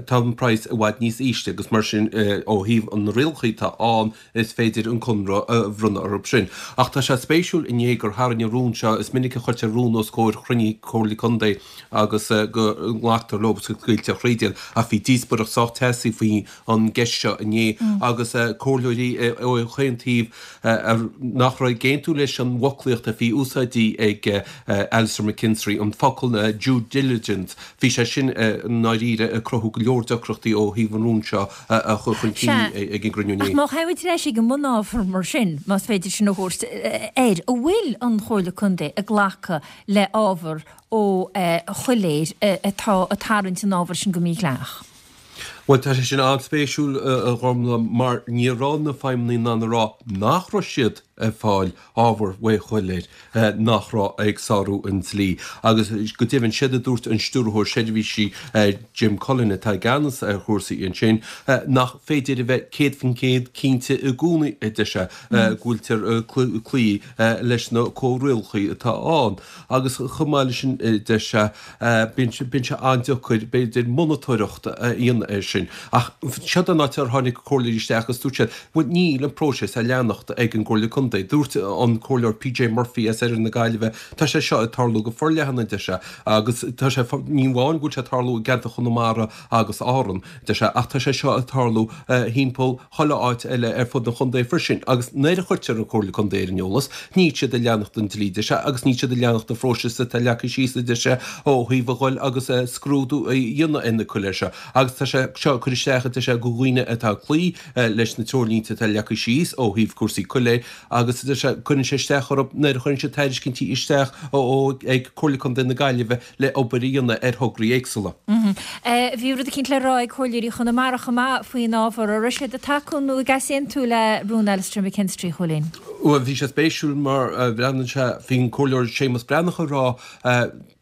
tá an praghas i bhfad níos ísle agus mar sin ó thaobh na rialacha atá ann is féidir an conradh a bhronnadh orthu sin. Ach tá sé spéisiúil inné gur tharraing an rún seo, is minic a chuirtear rún os comhair chruinnithe Comhairle Contae agus go nglactar leo agus go scaoiltear thríd iad ach bhí díospóireacht sách teasaí faoi an gceist seo inné agus comhairleoirí ó chaon taobh nach raibh ag aontú leis an bhfoclaíocht a bhí úsáidte ag Alastair McKinstry, an focal due diligence, bhí sé sin i ndáiríre ag cruthú go leor deacrachtaí ó thaobh an rún seo a chur chun cinn ag an gcruinniú inné. Ach má théimid ar ais ag an mbunábhar mar sin, más féidir sin a thabhairt air, an bhfuil an Chomhairle Contae ag glacadh le ábhar ó choiléir atá ag tarraingt an ábhair sin go mídhleathach? Bhuel, tá sé sin an-spéisiúil, a Ghormfhlaith, mar ní raibh na feidhmeannaigh in ann a rá nach raibh siad ag fáil ábhar uaidh choiléir nach raibh ag sárú an dlí. Agus go deimhin, séard a dúirt an Stiúrthóir Seirbhísí, Jim Cullen, atá i gceannas ar chúrsaí ansin, nach féidir a bheith 100% cinnte i gcónaí, a deir sé, go bhfuiltear ag cloí leis na comhrialacha atá ann. Agus chomh maith leis sin, deir sé, Bíonn sé an-deacair, b'fhéidir, monatóireacht a dhéanamh air sin. Ach seo an áit ar tháinig comhairleoirí isteach agus dúirt siad, bhuel, níl an próiseas á leanacht ag an gComhairle Contae. Dúirt an Comhairleoir PJ Murphy as oirthear na Gaillimhe, tá sé seo ag tarlú go forleathan, a deir sé, agus tá sé, ní amháin go bhfuil sé ag tarlú i gceantar Chonamara agus Árann, deir sé, ach tá sé seo ag tarlú thimpeall chuile áit eile ar fud an chontae freisin agus nuair a chuirtear an Chomhairle Contae ar an eolas, níl siad ag leanacht an dlí, deir sé, agus níl siad ag leanacht an phróisis atá leagtha síos, a deir sé, ó thaobh a ghoil agus scrúdú a dhéanamh ar na coiléir seo. Agus tá sé. seo ag cur isteach, a deir sé, do dhaoine atá ag cloí leis na treoirlínte atá leagtha síos ó thaobh cúrsaí coiléir agus, a deir sé, cuireann sé isteach orthu nuair a chuireann siad tairiscintí isteach ó ag Comhairle Contae na Gaillimhe le obair a dhéanamh ar thograí éagsúla. Bhí rud eicínt le rá ag Comhairleoirí Chonamara chomh maith faoin ábhar. An raibh siad ag tacú nó ag easaontú le rún Alastair McKinstry, a Chóilín? Bhuel, bhí sé spéisiúil mar bhreathnaíonn sé, bhí an Comhairleoir Séamus Breathnach ag rá,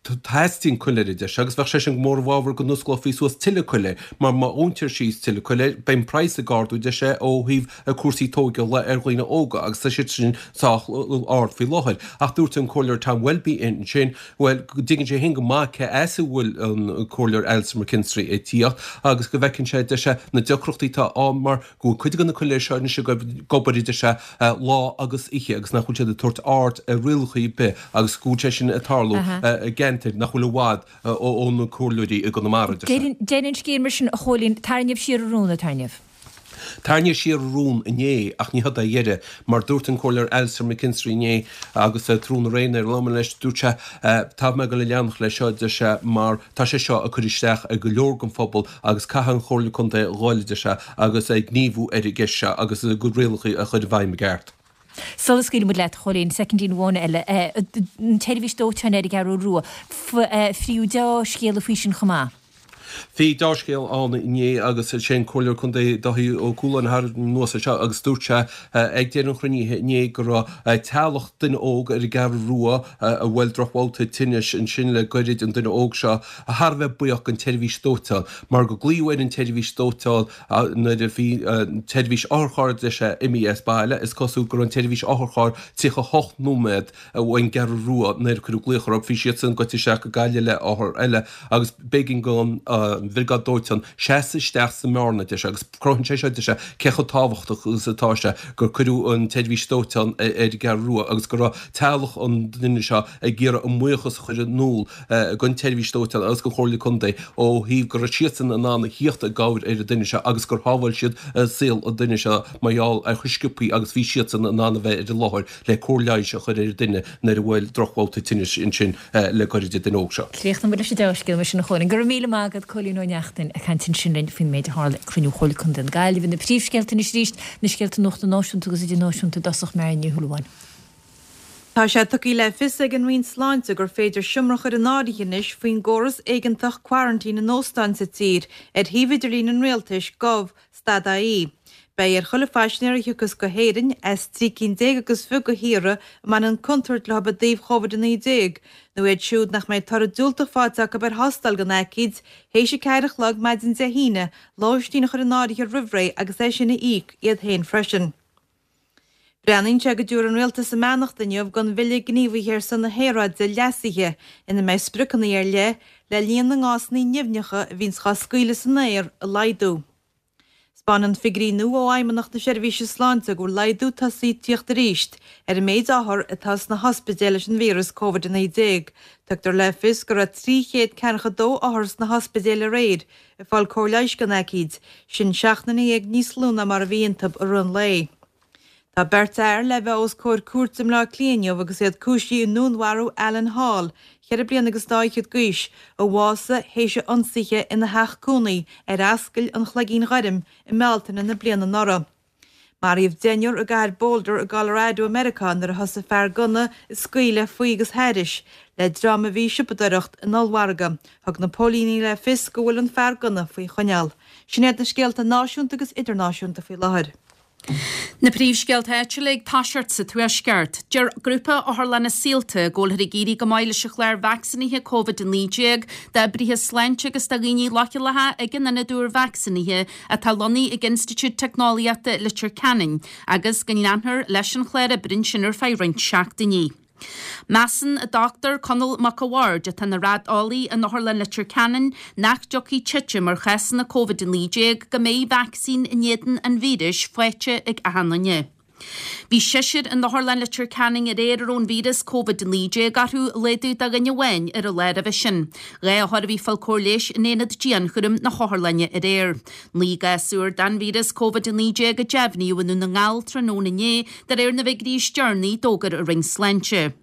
teastaíonn coiléir, a deir sé, agus bheadh sé sin go mór i bhfabhar go n-osclófaí suas tuilleadh coiléir, mar má dhúntar síos tuilleadh coiléir, beidh an praghas ag ardú, a deir sé, ó thaobh cúrsaí tóigeála ar dhaoine óga agus tá siad sin sách ard faoi láthair. Ach dúirt an Comhairleoir Tom Welby ansin, Bhuel, go dtuigeann sé féin go maith cé as a bhfuil an Comhairleoir Alastair McKinstry ag tíocht agus go bhfeiceann sé, deir sé, na deacrachtaí atá ann mar go bhfuil cuid de na coiléir seo anois ag obair, a deir sé, lá agus oíche agus nach bhfuil siad ag tabhairt aird ar rialacha ar bith agus go bhfuil sé sin ag tarlú i gceantair nach bhfuil i bhfad ó na comhairleoirí i gConamara, deir sé. Deireadh an scéil mar sin, a Chóilín, tarraingíodh siar an rún, ar tarraingíodh? Tarraingíodh siar an rún inné ach ní hé a dheireadh mar dúirt an Comhairleoir Alastair McKinstry inné agus tráthnóna aréir nuair a labhair mé leis, dúirt sé, tá mé ag dul a leanacht leis seo, a deir sé, mar tá sé seo ag cur isteach ar go leor den phobal agus caithfidh an Chomhairle Contae a dhul, a deir sé, agus gníomhú ar an gceist seo agus a gcuid rialacha a chur i bhfeidhm i gceart. Sula scaoilfidh muid leat, a Chóilín, soicindín amháin eile, an tseirbhís dóiteáin ar an gCeathrú Rua, fríothadh deá-scéala faoi sin chomh maith. Bhí deá-scéal ann inné agus sé an Comhairleoir Contae Dáithí Ó Cualáin a tharraing anuas é seo agus dúirt sé ag deireadh an chruinnithe inné go raibh teaghlach duine óg ar an gCeathrú Rua a bhuail drochbhabhta tinnis ansin le goirid, an duine óg seo, thar a bheith buíoch den tseirbhís dóiteáin mar go glaodh ar an tseirbhís dóiteáin nuair a bhí an tseirbhís otharchairr deir sé imithe as baile. Is cosúil go raibh an tseirbhís otharchairr 38 nóiméad ón gCeathrú Rua nuair a cuireadh glaoch orthu. Bhí siadsan gaibhte isteach go Gaillimh le othar eile agus b'éigean don bhriogáid dóiteáin seasamh isteach sa mbearna, deir sé, agus cruthaíonn sé seo, deir sé, cé chomh tábhachtach agus atá sé gur cuireadh an tseirbhís dóiteáin ar an gCeathrú Rua agus go raibh teaghlach an duine seo ag iarraidh a mbuíochas a chur in iúl don tseirbhís dóiteáin agus don Chomhairle Contae ó thaobh go raibh siadsan in ann a thíocht i gcabhair ar an duine seo agus gur shábháil siad saol an duine seo mar gheall ar chomh sciobthaí agus bhí siadsan in ann a bheith ar an láthair le cóir leighis a chur ar an duine nuair a bhuail drochbhabhta tinnis ansin le goirid an duine óg seo. Críochnóidh muid leis an dea-scéal mar sin a Chóilín. Go raibh míle maith agat, Cóilín Ó Neachtain, ag caint ansin linn faoin méid a tharla ag cruinniú Chomhairle Contae na Gaillimhe. Na príomhscéalta anois arís, na scéalta nuachta náisiúnta agus idirnáisiúnta i dtosach, Máire Ní Shúilleabháin. Tá sé tugtha le fios ag an Roinn Sláinte gur féidir seomra a chur in áirithe anois faoin gcóras éigeantach coraintín in óstáin sa tír ar shuíomh idirlín an Rialtais, gov. Stad ie. Beidh ar chuile phaisinéir a thiocfas go hÉirinn as 13 cinn agus fiche de thíortha a mbaineann contúirt leo i dtaobh Covid-19, nó iad siúd nach mbeidh toradh diúltach faighte acu ar thástáil don aicíd, théis a 4 a chlog maidin Dé hAoine, lóistín a chur in áirithe roimh ré agus é sin a íoc iad féin freisin. Breathnaíonn sé go dtabharfaidh an Rialtas a mbeannacht inniu don Bhille Gníomhaithe ar son na hAeráide leasaithe ina mbeidh spriocanna ar leith le líon na ngásanna nimhneacha a bhíonns dhá scaoileadh san aer a laghdú. 'Spáineann figiúirí nua ó Fheidhmeannacht na Seirbhíse Sláinte go bhfuil laghdú tosaithe ag tíocht arís ar an méid othar atá sna hospidéil leis an víreas Covid-19. Tugtar le fios go raibh 342 othar sna hospidéil aréir ag fáil cóir leighis don aicíd, sin 17 nduine níos lú ná mar a bhí iontu i rith an lae. Tá beirt fhear le bheith os comhair cúirte i mBleá Cliath inniu agus iad cúisithe i ndúnmharú Alan Hall, cheithre bliana agus dá fhichead d'aois, a bhásaigh théis a ionsaithe ina theach cónaí ar Ascaill an Chloigín Ghoirm i mBealtaine na bliana anuraidh. Maraíodh deichniúr i gcathair Boulder i gColorado i Meiriceá nuair a thosaigh fear gunna ag scaoileadh faoi agus thairis le dream a bhí ag siopadóireacht in ollmhargadh. Thug na póilíní le fios go bhfuil an fear gunna faoi choinneáil. Sin iad na scéalta náisiúnta agus idirnáisiúnta faoi láthair. Na príomhscéalta áitiúla ag toiseacht sa Tuaisceart. Deir grúpa Otharlanna Saolta go bhfuilthear ag éirí go maith leis an chlár vacsaínithe Covid-19 d'oibrithe sláinte agus do dhaoine leochaileacha ag an ionad úr vacsaínithe atá lonnaithe ag Institiúid Teicneolaíochta Leitir Ceanainn agus go leanfar leis an chlár oibre ansin ar feadh roinnt seachtainí. Measann an Dr Conall Mac a' Bhaird, atá ina raideolaí in Otharlann Leitir Ceanainn, nach dtiocfaidh titim ar chásanna Covid-19 go mbeidh vacsaín in éadan an víris faighte ag achan duine. Bhí seisear in Otharlann Leitir Ceanainn aréir a raibh an víreas Covid-19 orthu, laghdú de dhuine amháin ar an lá roimhe sin. 2 othar a bhí ag fáil cóir leighis in aonad dianchúraim na hotharlainne aréir. 9 gcás úr den víreas Covid-19 a deimhníodh i nDún na nGall tráthnóna inné, de réir na bhfigiúirí is deireanaí a d'fhógair an Roinn Sláinte.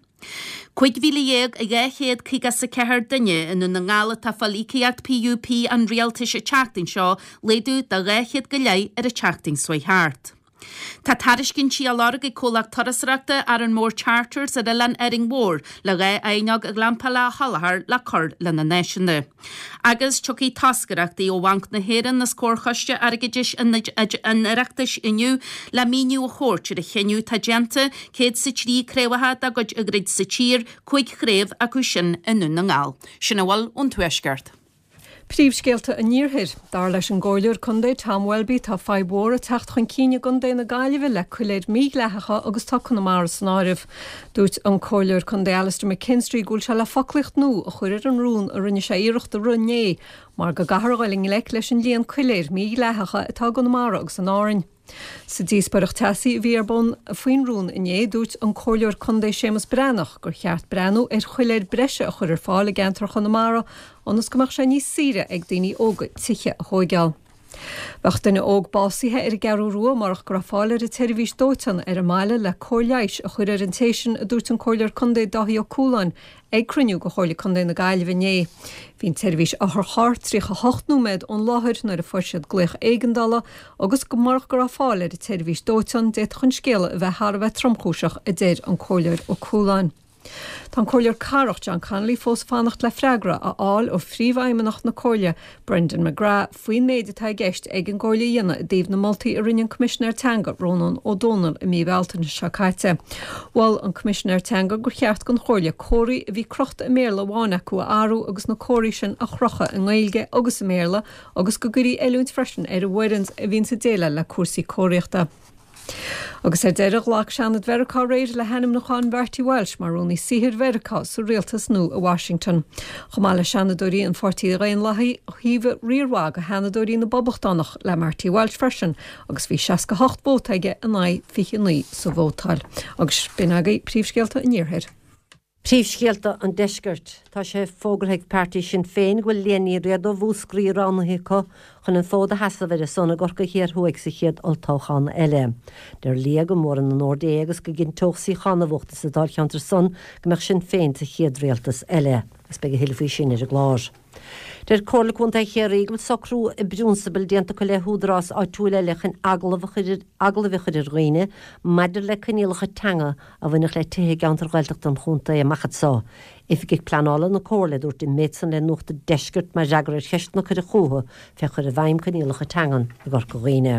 15,254 duine i nDún na nGall atá ag fáil íocaíocht PUP an Rialtais an tseachtain seo, laghdú de 200 go leith ar an tseachtain seo chuaigh thart. Tá tairiscintí á lorg ag comhlacht turasóireachta Arranmore Charters ar oileán Árainn Mhór le 2 fháinleog ghlampála a sholáthar le cur lena n-áiseanna. Agus tiocfaidh toscaireachtaí ó Bhanc na hÉireann is Comharchoiste Airgeadais an Oireachtais inniu le míniú a thabhairt ar an chinneadh atá déanta 103 craobhacha dá gcuid a dhruid sa tír, 5 chraobh acu sin i nDún na nGall. Sin a bhfuil ón Tuaisceart. Príomhscéalta an Iarthair. Dar leis an gComhairleoir Contae Tom Welby tá fadhb mhór ag teacht chun cinn i gContae na Gaillimhe le coiléir mídhleathacha agus tá Conamara san áireamh. Dúirt an Comhairleoir Contae Alastair McKinstry go bhfuil sé le foclaíocht nua a chur ar an rún a rinne sé iarracht a rith inné mar go gcaithfear a dhul i ngleic leis an líon coiléir mídhleathacha atá i gConamara agus in Árainn. Sa díospóireacht teasaí a bhí ar bun faoin rún inné, dúirt an Comhairleoir Contae Séamus Breathnach gur cheart breathnú ar choiléir breise a chur ar fáil i gceantar Chonamara ionas go mbeadh sé níos saoire ag daoine óga tithe a thóigeáil. Bheadh duine óg básaithe ar an gCeathrú Rua murach go raibh fáil ar an tseirbhís dóiteáin ar an mbaile le cóir leighis a chur ar an té sin, a dúirt an Comhairleoir Contae Dáithí Ó Cualáin Ag cruinniú de Chomhairle Contae na Gaillimhe inné, bhí an tseirbhís otharchairr 38 nóiméad ón láthair nuair a fuair siad glaoch éigeandála agus go murach go raibh fáil ar an tseirbhís dóiteáin d'fhéadfadh an scéal a bheith thar a bheith tromchúiseach, a deir an Comhairleoir Ó Cualáin. Tá an Comhairleoir Cathrach John Connolly fós ag fanacht le freagra a fháil ó Phríomhfheidhmeannach na Comhairle, Brendan McGrath, faoin méid atá i gceist ag an gComhairle a dhéanamh i dtaobh na moltaí a rinne an Coimisinéir Teanga, Rónán Ó Domhnaill i mí Bealtaine seo caite. Mhol an Coimisinéir Teanga gur cheart don Chomhairle comharthaí a bhí crochta i mBéarla amháin acu a athrú agus na comharthaí sin a chrochadh i nGaeilge agus i mBéarla agus go gcuirfí oiliúint freisin ar an bhfoireann a bhíonns ag déileáil le cúrsaí comharthaíochta. Agus ar deireadh, ghlac Seanad Mheiriceá aréir le hainmniúchán Mharty Walsh mar Rúnaí Saothair Mheiriceá sa rialtas nua i Washington. Chomh maith le Seanadóirí an Pháirtí Dhaonlathaigh, thaobhaigh riar mhaith de Sheanadóirí na bPoblachtánach le Marty Walsh freisin agus bhí 68 vóta aige in aghaidh 29 sa vótáil. Agus b'in agaibh príomhscéalta an Iarthair. Príomhscéalta an Deiscirt. Tá sé fógartha ag páirtí Sinn Féin go bhfuil Liadh Ní Riada ó Mhúscraí roghnaithe acu chun an fód a sheasamh ar a son i gCorcaigh Thiar Thuaidh sa chéad olltoghchán eile. Deir Liadh go mór in onóir di é agus go gcinnteodh suíochán a bhuachtaint sa dáilcheantar san go mbeadh Sinn Féin sa chéad rialtas eile. Agus beidh a thuilleadh faoi sin ar an gclár. Deir Comhairle Contae Chiarraí go bhfuil socrú i bprionsabal déanta acu le húdarás áitiúil eile chun agallamh a chur agallaimh a chur ar dhaoine maidir le coinníollacha teanga a bhainfeadh le tithe i gceantair Ghaeltachta an chontae amach anseo. Oifigeach Pleanála na Comhairle a dúirt an méid san le Nuacht an Deiscirt mar fhreagra ar cheisteanna a cuireadh chucu fé chur i bhfeidhm coinníollacha teangan i gCorca Dhuibhne.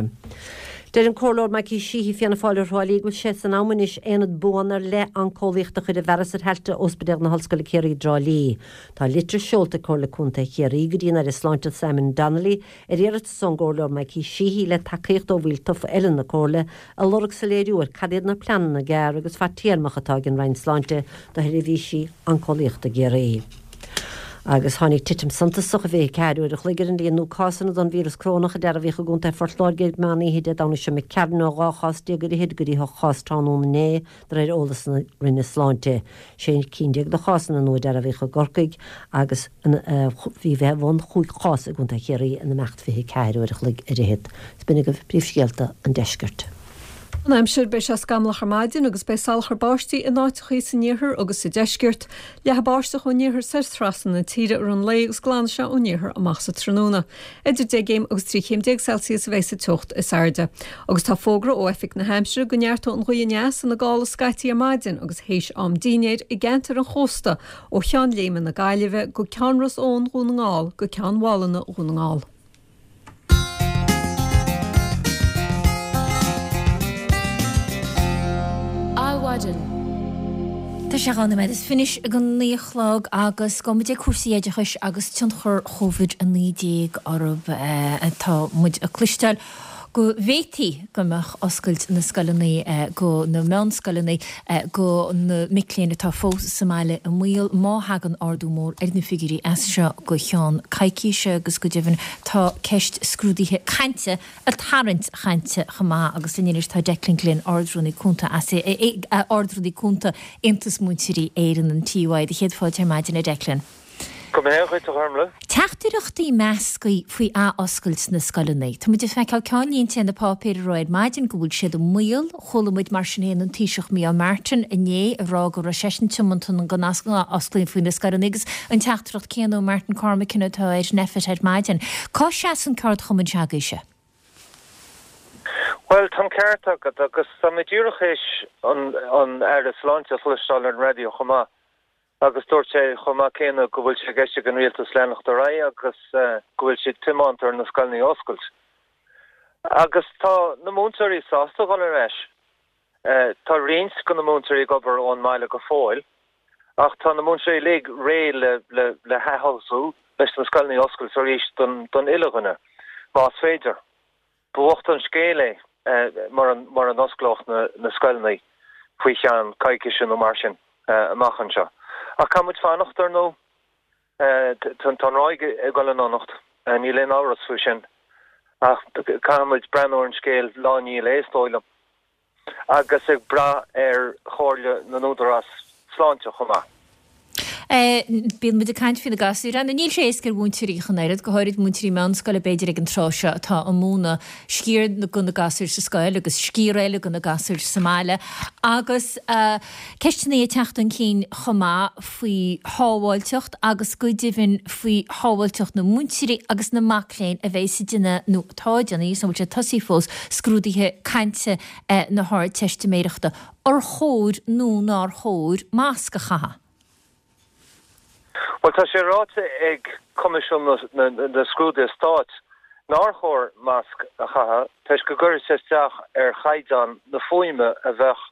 Deir an Comhairleoir Mikey Sheehy, Fianna Fáil ó Thrá Lí, go bhfuil sé san am anois aonad buan ar leith oncólaíochta a chur i bhfearas ar thailte Ospidéal na hOllscoile Ciarraí i dTrá Lí. Tá litir seolta ag Comhairle Contae Chiarraí go dtí an Aire Sláinte Simon Donnelly ar iarratas ón gComhairleoir Mikey Sheehy le tacaíocht ó bhaill tofa eile na Comhairle ag lorg soiléiriú ar cad iad na pleananna gearr agus fadtéarmach atá ag an Roinn Sláinte do sheirbhísí oncólaíochta i gCiarraí. Agus tháinig titim suntasach i 24 uair a chloig ar an líon nua cásanna don víreas corónach a dearbhaíodh i gContae Phort Láirge ag meán oíche Dé Domhnaigh seo imigh tharainn ó 12 chás ar fhichid go dtí 8 chás tráthnóna inné De réir eolas na Roinne Sláinte, sé cinn de chásanna nua a dearbhaíodh i gCorcaigh agus bhí fé bhun chúig chás i gContae Chiarraí in imeacht 24 uair a chloig ar fhichead. Is b'in agaibh príomhscéalta an deiscirt. An aimsir, Beidh sé scamallach ar maidin agus beidh salachar báistí in áiteachaí san iarthar agus sa deisceart. Leathfaidh báisteach ón iarthar soir trasna na tíre i rith an lae agus glanfaidh sé ón iarthar amach sa tráthnóna. Idir 10 gcéim agus 13 chéim Celsius a bheidh sa teocht is airde. Agus tá fógra ó Oifig na hAimsire go neartóidh an ghaoth aneas ina gála scaití ar maidin agus théis am dínnéir i gceantar an chósta ó Cheann Léime na Gaillimhe go Ceann Ros Eoin Dhún na nGall go Ceann Mhálanna Dhún na nGall. Adhmhaidin. Tá sé 2 nóiméad is fiche don 9 a chlog agus gabhfaidh muid ag cúrsaí oideachais agus tionchar Covid-19 orthu. Tá muid ag cloisteáil go bhféadfaí go mbeadh oscailt na scoileanna go na meánscoileanna go na mic léinn atá fós sa mbaile i mbaol má thagann ardú mór ar na figiúirí as seo go cheann coicíse agus go deimhin tá ceist scrúduithe cainte ag tarraingt chainte chomh maith agus linn anois tá Declan Glynn, Ard-Rúnaí Cúnta Ard-Rúnaí Cúnta Aontas Múinteoirí Éireann, an TUI. Do chéad fáilte ar maidin a Declan. Go mba hea dhuit, a Ghormlaith. Teachtaireachtaí measctha faoi ath-oscailt na scoileanna. Tá muid ag feiceáil ceannlínte ar na páipéir a raibh ar maidin go bhfuil siad i mbaol. Chuala muid mar sin féin an Taoiseach Micheál Martin inné ag rá go raibh seisean tiomanta go n-athosclófaí na scoileanna agus an teachtaireacht céanna ó Martin Cormican atá ar NPHET ar maidin. Cá seasann ceardchumann s'agaibhse? Bhuel, tá an ceart agat agus tá mé díreach théis an Aire Sláinte a chloisteáil ar an raidió chomh maith. Agus dúirt sé chomh maith céanna go bhfuil sé i gceist ag an rialtas leanacht ar aghaidh agus go bhfuil siad tiomanta ar na scoileanna a oscailt. Agus tá na múinteoirí sásta dhul ar ais. Tá roinnt de na múinteoirí ag obair ón mbaile go fóill ach tá na múinteoirí uilig réidh le le hathosú, leis na scoileanna a oscailt arís don uile dhuine, más féidir. Ba bhocht an scéal é mura n-osclódh na scoileanna faoi cheann coicíse nó mar sin amach anseo. Ach caithfidh muid fanacht, ar ndóigh. Tá an ráig ag dul in donacht, níl aon amhras faoi sin. Ach caithfidh muid breathnú ar an scéal lá i ndiaidh lae, is dóigh liom. agus ag brath ar chomhairle na n-údarás sláinte chomh maith. Bíonn muid ag caint faoi na gasúir. Anna, níl sé éasca ar mhúinteoirí ach an oiread, go háirid múinteoirí meánscoile b'fhéidir ag an tráth seo atá ag múineadh sciar de na gasúir sa scoil agus sciar eile de na gasúir sa mbaile agus ceisteanna ag teacht chun cinn chomh maith faoi shábháilteacht agus go deimhin faoi shábháilteacht na múinteoirí agus na mac léinn a bheas ag déanamh, nó atá ag déanamh, níl a fhios an bhfuil sé tosaithe fós, scrúduithe cainte na hArdteistiméireachta. Ar chóir nó nár chóir masc a chaitheamh? Bhuel, tá sé ráite ag Coimisiún na Scrúduithe Stáit nár chóir masc a chaitheamh toisc go gcuirfeadh sé isteach ar chaighdeán na fuaime a bheadh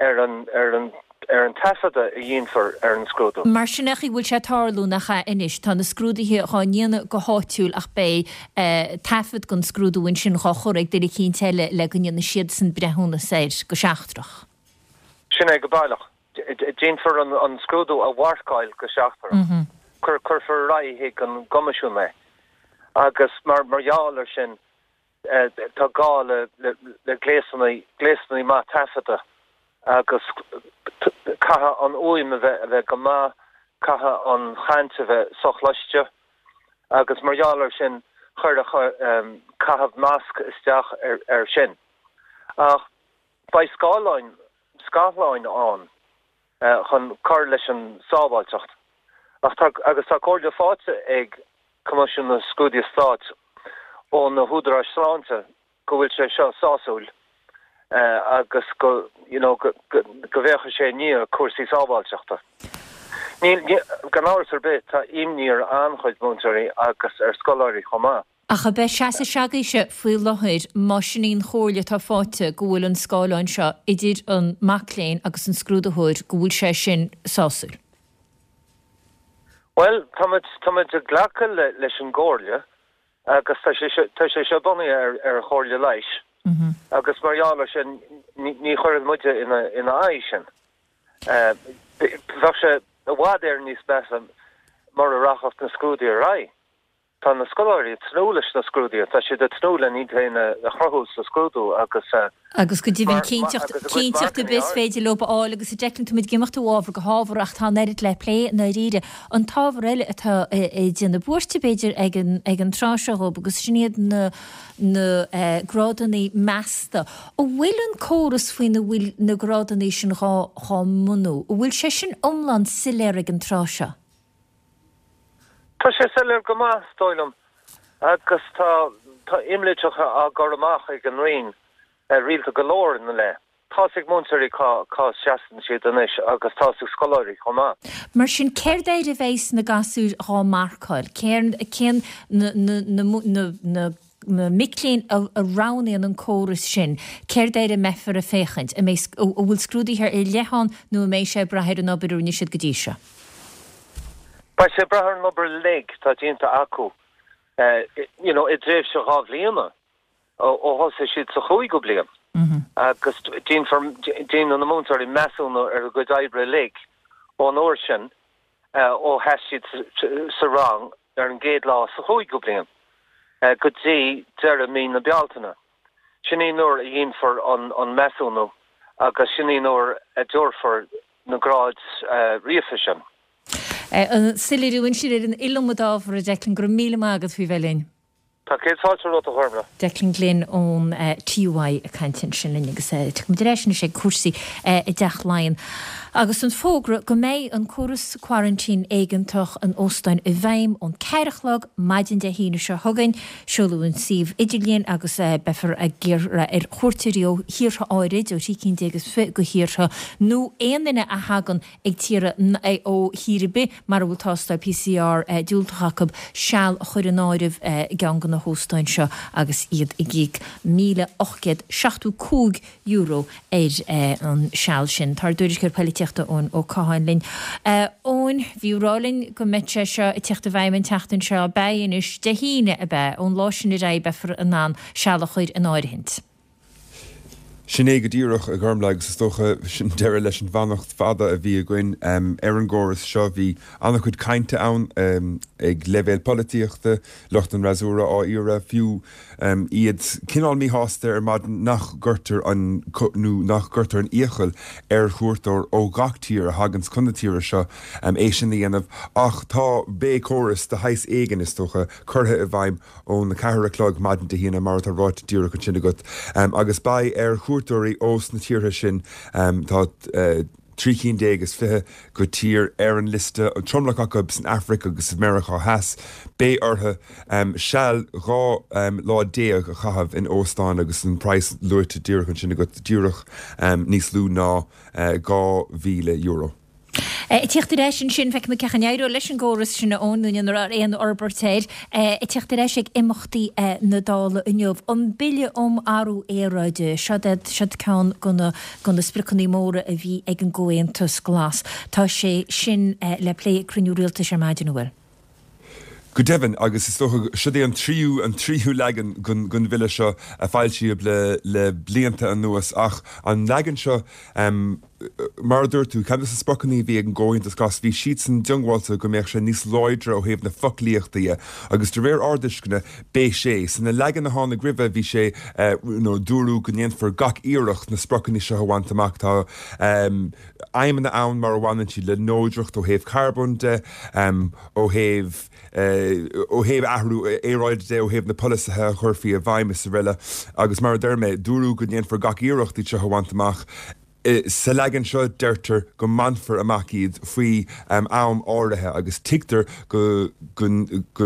ar an ar an ar an taifeadadh a dhéanfar ar an scrúdú. Mar sin é an chaoi a bhfuil sé ag tarlú, nach ea anois? Tá na scrúduithe dhá ndéanamh go háitiúil ach beidh taifead den scrúdú ansin dhá chur ag duine eicínt eile le go ndéanfaidh siadsan breithiúnas air go seachtrach. Sin é go baileach. Déanfar an scrúdú a mharcáil go seachtrach. Cuirfear ar aghaidh chuig an gCoimisiún é agus mar mar gheall air sin Tá gá le gléasanna, gléasanna maith taifeadta agus caithfidh an fhuaim a bheith, a bheith go maith, caithfidh an chaint a bheith sochloiste agus mar gheall air sin chuirfeadh caitheamh masc isteach ar sin. Ach beidh scáileáin, scáthláin ann chun cur leis an sábháilteacht. Ach tá, agus tá comhairle faighte ag Coimisiún na Scrúduithe Stáit ó na húdaráis sláinte go bhfuil sé seo sásúil agus go, you know, go bhféachfaidh sé i ndiaidh cúrsaí sábháilteachta. Níl, gan amhras ar bith, tá imní ar an-chuid múinteoirí agus ar scoláirí chomh maith. Ach ab é seasamh s'agaibhse faoi láthair, má sin í an chomhairle atá faighte, go bhfuil an scáileán seo idir an mac léinn agus an scrúdaitheoir, go bhfuil sé sin sásúil? Bhuel, tá muid, tá muid ag glacadh leis an gcomhairle agus tá sé seo, tá sé seo bunaithe ar, ar chomhairle leighis agus mar gheall air sin ní, ní chuirfidh muide ina, ina aghaidh sin. Bheadh sé i bhfad Éireann níos measa mura rachadh na scrúduithe ar aghaidh. Tá na scoláirí ag tnúth leis na scrúduithe, tá siad ag tnúth len iad féin a chruthú sa scrúdú agus. Agus go deimhin cinnteacht, cinnteacht ar bith is féidir leo a fháil agus a Declan, tá muid ag imeacht ó ábhar go hábhar ach tá an oiread le plé i ndáiríre. An t-ábhar eile atá ag déanamh buairte b'fhéidir ag an, ag an tráth seo dhóibh agus sin iad na, na grádanna measta. An bhfuil an córas faoina bhfuil na grádanna sin dhá, dhá mbunú, an bhfuil sé sin iomlán soiléir ag an tráth seo? Tá sé soiléir go maith, is dóigh liom, agus tá tá imlitreacha á gcur amach ag an Roinn rialta go leor ina leith. Tá's ag múinteoirí cá cá seasann siad anois agus tá's ag scoláirí chomh maith. Mar sin, céard air a bheidhs na gasúir dhá marcáil? Cén cén na na na na na na mic léinn a roghnaíonn an córas sin, céard air a mbeifear ag féachaint? An mbeidh, an bhfuil scrúduithe ar leith ann nó an mbeidh sé ag brath ar an obair a rinne siad go dtí seo? Beidh sé ag brath ar an obair uilig atá déanta acu you know i dtréimhse 2 bhliana ó thosaigh siad sa chúigiú bliain agus déanfar, déanann na múinteoirí measúnú ar a gcuid oibre uilig ón uair sin ó sheas siad sa rang ar an gcéad lá sa chúigiú bliain go dtí deireadh mí na Bealtaine. Sin í an uair a dhéanfar an measúnú agus sin í an uair a dtabharfar na gráid ríofa sin. An soiléiriú ansin ar an iliomad ábhar, a Declan, go raibh míle maith agat faoi bheith linn. Tá céad fáilte romhat, a Ghormfhlaith. Declan Glynn ón TUI ag caint ansin linn agus tiocfaimid ar ais anois ag cúrsaí i dTeach Laighean agus an fógra go mbeidh an córas coraintín éigeantach in óstáin i bhfeidhm ón ceathair a chlog maidin Dé hAoine seo chugainn. Seoladh an suíomh idirlíon agus beifear ag iarraidh ar chuairteoirí ó thíortha áirid, ó thrí cinn déag is fi de thíortha, nó aon duine a thagann ag tíortha ó thír ar bith mara bhfuil tástáil PCR diúltach acu, seal a chur in áireamh i gceann de na hóstáin seo agus iad ag íoc €1,875 ar an seal sin. Tá ár dtuairisceoir poilitíochta Eoin Ó Catháin linn. Eoin, bhí tú ag rá linn go mbeidh sé seo ag tíocht i bhfeidhm an tseachtain seo, beidh anois, Dé hAoine ab ea? Ón lá sin ar aghaidh beifear in ann seal a chur in áirithint. Sin é go díreach, a Ghormfhlaith, agus is dócha, sin deireadh leis an bhfanacht fada a bhí againn ar an gcóras seo. Bhí an-chuid cainte ann ag leibhéal polaitíochta, lucht an fhreasúra á iarraidh, fiú iad cineál míshásta ar maidin nach gcuirtear an, nó nach gcuirtear an iachall ar chuairteoir ó gach tír a thaganns chun na tíre seo é sin a dhéanamh. Ach tá, beidh córas de shaghas éigin, is dócha, curtha i bhfeidhm ón 4 a chlog maidin Dé hAoine, mar atá ráite díreach ansin agat, agus beidh ar chuairteoirí ós na tíortha sin, tá 13 cinn is 20 de thír ar an liosta, an tromlach acu san Afraic agus i Meiriceá Theas, beidh orthu seal 12 lá a chaitheamh in óstán agus an praghas luaite díreach ansin agat, díreach níos lú ná €2,000. Ag tíocht ar ais ansin, feicfimid cén chaoi a n-éireoidh leis an gcóras sin a Eoin, nó an raibh aon fhorbairt air. Ag tíocht ar ais ag imeachtaí na Dála inniu, an Bille um Athrú Aeráide, seod é, seod ceann de na, de na spriocanna móra a bhí ag an gComhaontas Glas. Tá sé sin le plé ag cruinniú rialtais ar maidin, an bhfuil? Go deimhin, agus is dócha, siod é an tríú, an tríú leagan den, den bhille seo a foilsíodh le, le blianta anuas ach an leagan seo, Mar a dúirt tú, ceann de na spriocanna a bhí ag an gComhaontas Glas, bhí siadsan diongbháilte go mbeadh sé níos láidre ó thaobh na foclaíochta dhe agus de réir ár dtuisceana, beidh sé. Sna leagan a tháinig roimhe, bhí sé, nó dúradh go ndéanfar gach iarracht na spriocanna seo a bhaint amach. Tá aidhmeanna ann mar a bhaineann siad le neodracht ó thaobh carbóin de, ó thaobh. ó thaobh athrú aeráide de, ó thaobh na polasaithe a chuirfí i bhfeidhm is araile. Agus mar a deir mé, dúradh go ndéanfar gach iarracht iad seo a bhaint amach. Sa leagan seo deirtear go mbainfear amach iad faoi am áirithe agus tuigtear go go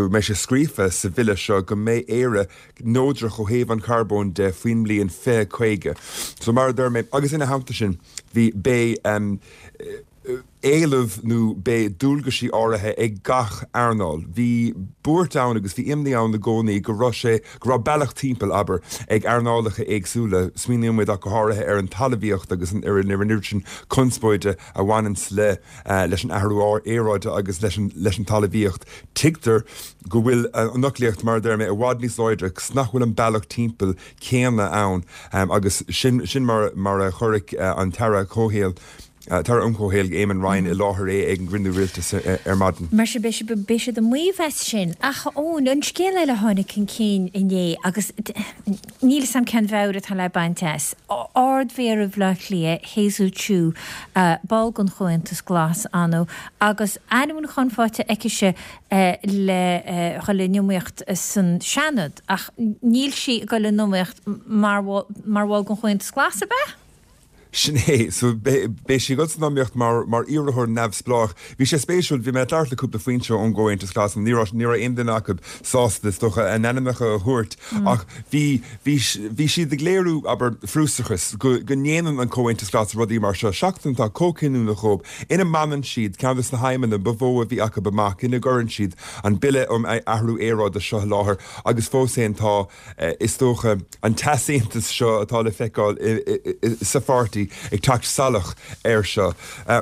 mbeidh sé scríofa sa bhille seo go mbeidh Éire neodrach ó thaobh an charbóin de faoin mbliain 2050. So mar a deir mé, agus ina theannta sin, bhí, beidh, éileamh nó beidh dualgaisí áirithe ag gach earnáil. Bhí buairt ann agus bhí imní ann i gcónaí go raibh sé, go raibh bealach timpeall, abair, ag earnálacha éagsúla. Smaoiníonn muid ach go háirithe ar an talmhaíocht agus ar an oiread sin conspóide a bhaineanns le, leis an athrú aeráide agus leis an, leis an talmhaíocht. Tuigtear go bhfuil an fhoclaíocht, mar a deir mé, i bhfad níos láidre agus nach bhfuil an bealach timpeall céanna ann agus sin, sin mar, mar a chuirfeadh an tAire Comhshaoil, tAire um Chomhshaol, Eamon Ryan, i láthair é ag an gcruinniú rialtais ar maidin. Mar sin, beidh siad, beidh siad ag maíomh as sin. Ach, a Eoin, an scéal eile a tháinig chun cinn inné, agus níl 'fhios a'm cén mheabhair atá le baint as, Ard-Mhéara Bhaile Átha Cliath, Hazel Chu, ball den Chomhaontas Glas, ann, agus ainmniúchán faighte aicise le dhul in iomaíocht san Seanad, ach níl sí ag dul in iomaíocht mar, mar bhall den Chomhaontas Glas, ab ea? Sin é. So, beidh sí ag dul san iomaíocht mar mar iarrthóir neamhspleách. Bhí sé spéisiúil, bhí mé ag labhairt le cúpla foinse ón gComhaontas Glas, ní raibh ní raibh aon duine acu sásta, is dócha, a n-ainmneacha a thabhairt ach bhí bhí bhí siad ag léiriú, abair, frustrachas go go ndéanann an Comhaontas Glas rudaí mar seo, seachtain atá chomh cinniúnach dhóibh, ina mbaineann siad ceann de na haidhmeanna ba mhó a bhí acu amach, ina gcuireann siad an Bille um Athrú Aeráide seo i láthair agus fós féin tá Is dócha, an t-easaontas seo atá le feiceáil sa pháirtí ag teacht salach air seo.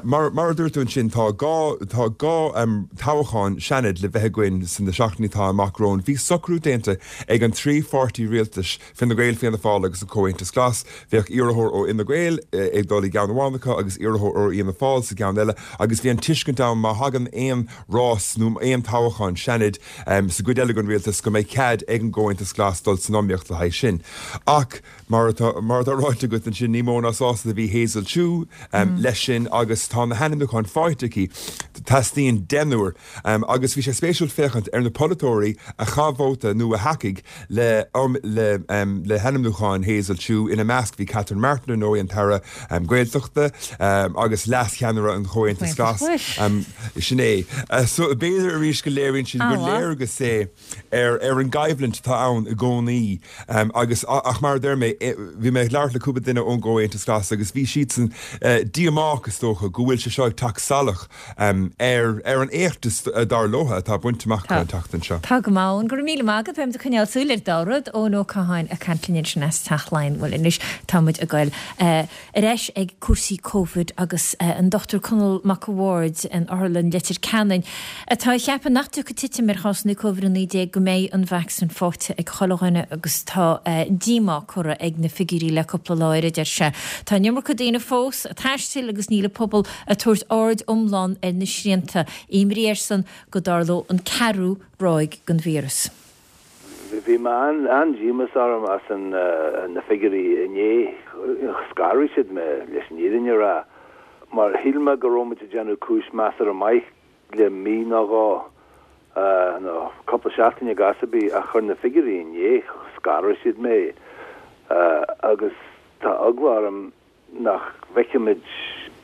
Mar a dúirt tú ansin, tá dhá, tá dhá toghchán Seanaid le bheith againn sna seachtainí atá amach romhainn. Bhí socrú déanta ag an trí pháirtí rialtais, Fine Gael, Fianna Fáil agus an Comhaontas Glas. Bheadh iarrthóir ó Fhine Gael ag dul i gceann amháin acu agus iarrthóir ó Fhianna Fáil sa gceann eile agus bhí an tuiscint ann má thagann aon rás nó aon toghchán Seanaid sa gcuid eile den rialtas go mbeidh cead ag an gComhaontas Glas dul san iomaíocht le haghaidh sin. Ach, mar atá mar atá ráite agat ansin, ní mó ná sásta. sásta a bhí Hazel Chu leis sin agus tá na hainmniúcháin faighte aici. Teastaíonn deichniúr agus bhí sé spéisiúil féachaint ar na polaiteoirí a chaith vóta nó a thacaigh le le hainmniúcháin Hazel Chu. Ina measc bhí Catherine Martin, ar ndóigh, an tAire Gaeltachta agus leascheannaire an Chomhaontais Ghlais. Sin é. So b'fhéidir arís go léiríonn siad gur léargas é ar ar an gcoimhlint atá ann i gcónaí agus ach mar a deir mé, bhí mé ag labhairt le cúpla duine ón gComhaontas Glas agus bhí siadsan díomách is dócha go bhfuil sé seo ag teacht salach ar ar an éacht dar leo atá bainte amach acu an tseachtain seo. Tá go maith, Eoin. Go raibh míle maith agat. Beimid ag coinneáil súil ar an dá rud. Eoin Ó Catháin ag caint linn ansin as Teach Laighean. Bhuel anois tá muid ag goil ar ais ag cúrsaí Covid agus an Dr Conall Mac a' Bhaird in Otharlann Leitir Ceanainn atá ag ceapadh nach dtiocfaidh titim ar chásanna Covid-19 go mbeidh an vacsaín faighte ag chuile dhuine agus tá díomá curtha ag na figiúirí le cúpla lá air, a deir sé. Tá an iomarca daoine fós ag taisteal agus níl an pobal ag tabhairt aird iomlán ar na srianta. Imní airsean go dtarlódh an ceathrú ráig den víreas. Bhí mé an-díomás orm as na figiúirí inné. Scanraigh siad mé, leis an fhírinne a rá, mar shíl mé go raibh muid ag déanamh cúis measartha maith le mí nó dhó, nó cúpla seachtain i gcás ar bith, ach chuir na figiúirí inné, scanraigh siad mé agus tá eagla orm nach bhfeicfimid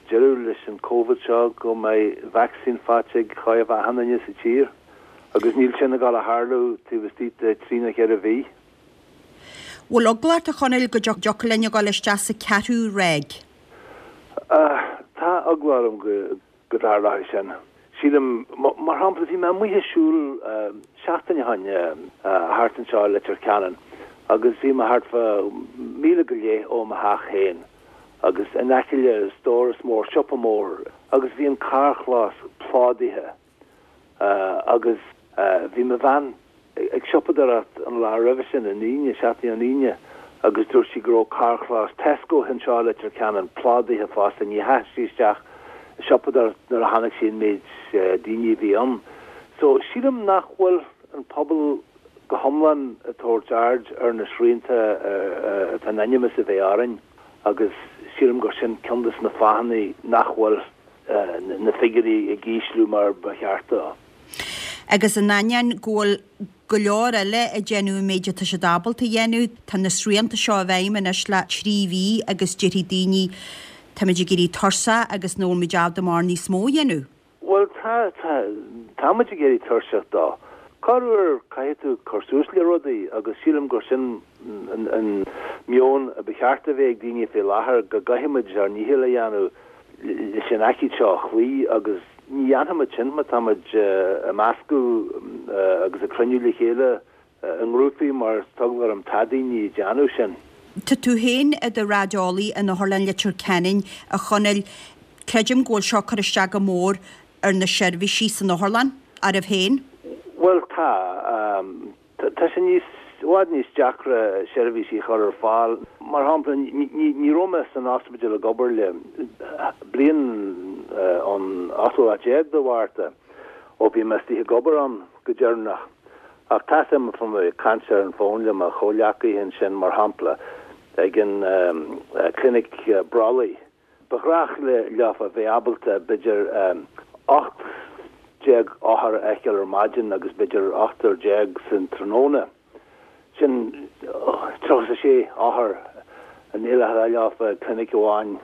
deireadh leis an Covid seo go mbeidh vacsaín faighte ag chóir a bheith achan duine sa tír agus níl sin ag dul a tharlú taobh istigh de thrí nó cheithre mhí. Bhfuil eagla ort a Chonaill go dtiocfadh linn a dhul isteach sa ceathrú ráig? Tá eagla orm go go dtarlóidh sin. Sílim, mar shampla, bhí mé amuigh ag siúl seachtain ó shin thart anseo i Leitir Ceanainn agus bhí mé thart fá mhíle go leith ó mo theach féin agus in aice le stóras mór, siopa mór agus bhí an carrchlós plódaithe agus bhí mo bhean ag siopadóireacht an lá roimhe sin, an Aoine, seachtain ón Aoine, agus dúirt sí go raibh carrchlós Tesco anseo i Leitir Ceanainn plódaithe fosta. Ní dheachaigh sí isteach ag siopadóireacht nuair a chonaic sí an méid daoine a bhí ann. So, sílim nach bhfuil an pobal go hiomlán ag tabhairt aird ar na srianta atá in ainm is a bheith orainn agus sílim gur sin ceann de na fáthanna nach bhfuil na figiúirí ag ísliú mar ba cheart dó. Agus in ainneoin go bhfuil go leor eile ag déanamh an méid atá siad ábalta a dhéanamh, tá na srianta seo i bhfeidhm anois le 3 mhí agus déarfaidh daoine táimid ag éirí tuirseach agus nach bhfuil muid ábalta mórán níos mó a dhéanamh. Bhuel, tá, tá, tá muid ag éirí tuirseach dó. Corruair caithfidh tú cur suas le rudaí agus sílim gur sin an meon a ba cheart a bheith ag daoine fé láthair, go gcaithfidh muid ár ndícheall a dhéanamh leis an aicíd seo a chloí agus ní dhéanfaimid sin má táimid ag meascadh agus ag cruinniú le chéile i ngrúpaí mar tá eagla orm tá daoine ag déanamh sin. Tá tú féin i do raideolaí in Otharlann Leitir Ceanainn, a Chonaill. Creidim go bhfuil seo ag cur isteach go mór ar na seirbhísí san otharlann, oraibh féin? Bhuel, tá. Tá sé níos, i bhfad níos deacra seirbhísí a chur ar fáil. Mar shampla, ní raibh mé san ospidéal ag obair le bliain ón ochtú lá déag de Mhárta, ó bhí mé istigh ag obair ann go deireanach. Ach tá a fhios agam, bhí mé ag caint ar an bhfón le mo chomhghleacaithe ansin, mar shampla, ag an clinic brollaigh. Ba ghnách leofa bheith ábalta b'fhéidir 18 othar a fheiceáil ar maidin agus b'fhéidir ochtar déag san tráthnóna. Sin 36 othar a ndéileálfá leofa i gclinic amháin.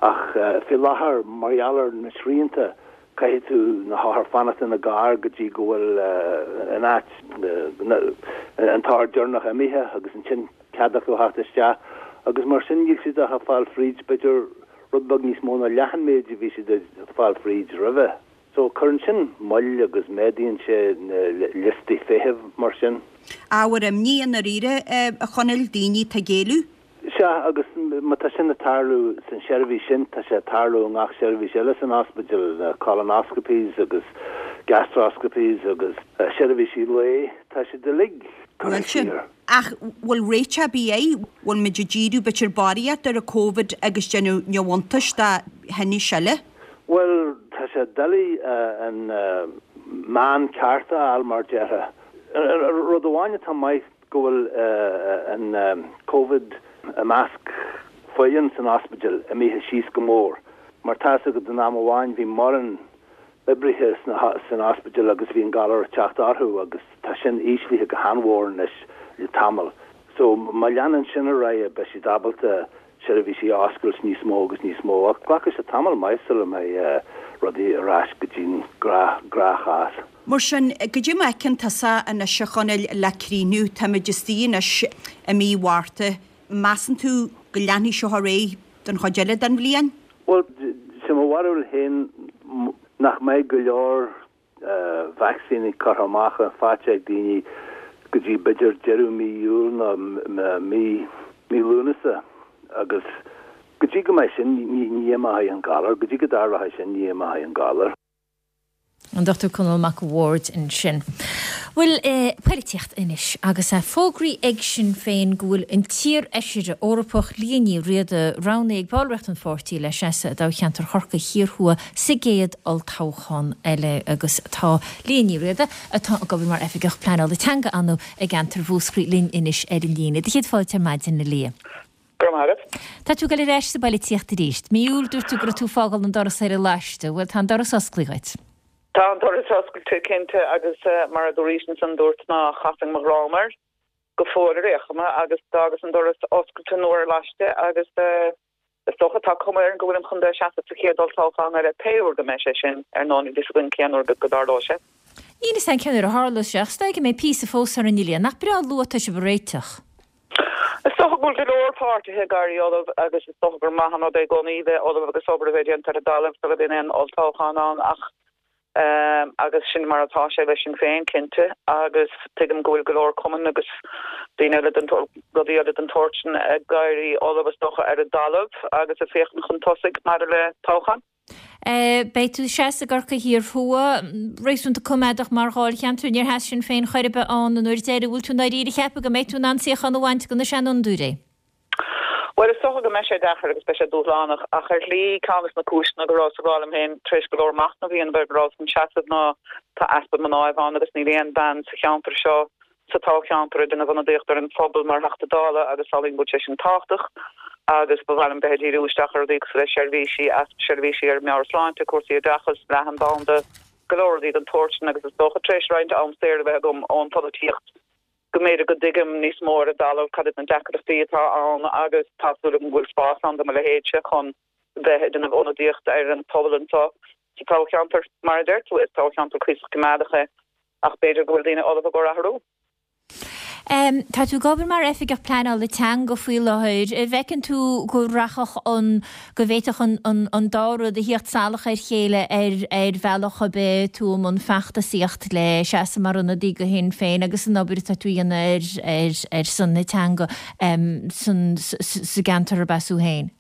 Ach faoi láthair, mar gheall ar na srianta, caithfidh tú na hothair fanacht ina gcarr go dtí go bhfuil an áit, an t-othar deireanach imithe agus ansin cead acu a theacht isteach agus mar sin níl siad ach ag fáil fríd b'fhéidir rud beag níos mó ná leath an méid a bhí siad ag fáil fríd roimhe. So cuireann sin moill agus méadaíonn sé na liostaí feithimh mar sin. Ábhar imní i ndáiríre, a Chonaill, daoine atá ag éalú. Sea, agus má tá sin ag tarlú san seirbhís sin, tá sé ag tarlú i ngach seirbhís eile san ospidéal, na colonoscopies agus gastroscopies agus seirbhísí lae, tá siad uilig curtha siar. Ach bhfuil réiteach ar bith air? Bhfuil muid ag díriú b'fhéidir barraíocht ar an Covid agus déanamh neamhiontais de thinnis eile? Bhuel, tá sé doiligh an meán ceart a fháil, mar déarfá. Rud amháin atá maith, go bhfuil an Covid i measc. foireann san ospidéal imithe síos go mór mar tá 'fhios agat in am amháin bhí mórán oibrithe san ospidéal agus bhí an galar ag teacht orthu agus tá sin íslithe go han-mhór anois le tamall. So má leanann sin ar aghaidh beidh siad ábalta seirbhísí a oscailt níos mó agus níos mó ach glacfaidh sé tamall maith sula mbeidh rudaí ar ais go dtí'n gnáthchás. Mar sin, goidé mar a fheiceann tusa anois a Chonaill le críochnú, táimid istigh anois i mí Mhárta, measann tú go leanfaidh seo ar aghaidh don chuid eile den bhliain? Bhuel, sé mo bharúil féin nach mbeidh go leor vacsaíní curtha amach faighte ag daoine go dtí b'fhéidir deireadh mí Iúil nó mí mí Lúnasa agus go dtí go mbeidh sin ní imeoidh an galar, go dtí go dtarlóidh sin ní imeoidh an galar. An Dr Conall Mac a' Bhaird ansin. Bhuel, poilitíocht anois agus é fógraithe ag Sinn Féin go bhfuil an t-iar-fheisire Eorpach Liadh Ní Riada roghnaithe ag ballraíocht an pháirtí le seasamh i dtoghcheantar Chorcaí Thiar Thuaidh sa gcéad olltoghchán eile agus tá Liadh Ní Riada, atá ag obair mar Oifigeach Pleanála Teanga ann i gceantar Mhúscraí linn anois ar an líne. Do chéad fáilte ar maidin, a Liadh. Go raibh maith agat. Tá tú ag dul ar ais sa bpoilitíocht arís. Mí Iúil dúirt tú go raibh tú ag fágáil an doras ar laiste. Bhuel, tá an doras osclaithe dhuit. Tá an doras oscailte, cinnte, agus mar a dúraís ansan, dúrt ná chasfainn mo dhroim air go fóill ar aon chuma agus d'fhágas an doras oscailte nó ar laiste agus is dócha, tá cuma air go bhfuilim chun dul ag seasamh sa chéad olltoghchán eile, pé uair go mbeidh sé sin, ar ndóigh níl fhios againn cén uair go dtarlóidh sé. Níl fhios againn cén uair a tharlós sé ach is dóigh go mbeidh píosa fós orainn, a Liadh. Nach breá luath atá sibh ag réiteach? Is dócha go bhfuil go leor páirtithe ag éirí ullamh agus is dócha gur maith an rud é i gcónaí bheith ullamh agus obair a bheith déanta ar an dtalamh sula mbíonn aon olltoghchán ann ach agus sin mar atá sé le Sinn Féin cinnte agus tuigim go bhfuil go leor cumann agus daoine eile den rudaí eile den tsórt sin ag éirí ullamh is dócha ar an dtalamh agus ag féachaint chun tosaigh maidir le toghchán. Beidh tú ag seasamh i gCorcaigh Thiar Thuaidh, réasúnta coimeádach mar dháilcheantar. Níor sheas Sinn Féin chor ar bith ann an uair deiridh. Bhfuil tú i ndáiríre ag ceapadh go mbeidh tú in ann suíochán a bhaint de na seanfhondúirí? Bhuel, is dócha go mbeidh sé deacair agus beidh sé dúshlánach, ach ar shlí, ceann de na cúiseanna go rabhas ag rá liom féin, tar éis go leor machnaimh a dhéanamh air, go rabhas chun seasamh ná tá easpa mnáibh ann agus níl aon bhean sa cheantar seo sa toghcheantar ag déanamh ionadaíocht ar an phobal mar Theachta Dála agus samhlaím go bhfuil sé sin tábhachtach agus ba mhaith liom bheith ag díriú isteach ar rudaí cosúil le seirbhísí, easpa seirbhísí ar meabhairshláinte, cúrsaí oideachais, leathanbhanda, go leor rudaí den tsórt sin agus is dócha tar éis roinnt am saor a bheith agam ón pholaitíocht go mb'fhéidir go dtuigim níos mó ar an dtalamh cad iad na deacrachtaí atá ann agus tá súil agam go bhfuil spás ann do mo leithéidse chun bheith ag déanamh ionadaíocht ar an phobal anseo sa toghcheantar. Mar a deir tú, is toghcheantar cuíosach coimeádach é ach b'fhéidir go bhfuil daoine ullamh i gcomhair athrú. Tá tú ag obair mar Oifigeach Pleanála Teanga faoi láthair. An bhfeiceann tú go rachadh an, go bhféadfadh an, an, an dá rud a thíocht salach ar chéile ar, ar bhealach ar bith, tú i mbun feachtasaíocht le seasamh mar ionadaí do Shinn Féin agus an obair atá tú a dhéanamh ar, ar, ar son na teanga san, sa gceantar arb as thú féin?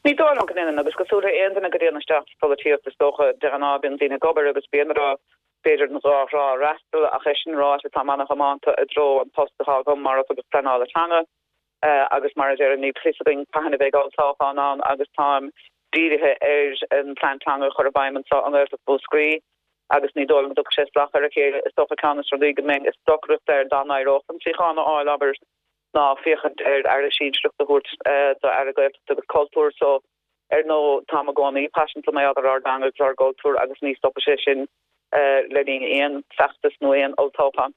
Ní dóigh liom go ndéanann, agus cosúil le aon duine go dtéann isteach sa pholaitíocht is dócha, de ghnáth bíonn daoine ag obair agus bíonn ag rá b'fhéidir an dhá thrá a fhreastal, ach é sin ráite táim ana-thiomanta i dtreo an post atá agam mar Oifigeach Pleanála Teanga agus mar a deirim níl fios againn cathain a bheidh olltoghchán ann agus táim dírithe ar an plean teanga a chur i bhfeidhm anseo i nGaeltacht Mhúscraí agus ní dóigh liom go dtiocfaidh sé salach ar a chéile. Is dócha ceann de na rudaí go mbeinn ag stocaireacht air dá n-éireodh liom suíochán a fháil, abair, ná féachaint ar Aire sinsearach a thabhairt do Aire Gaeltachta agus Cultúir so ar ndóigh táim i gcónaí paiseanta mar gheall ar ár dteanga agus ár gcultúr agus ní stopfaidh sé sin le linn aon feachtas nó aon olltoghchán.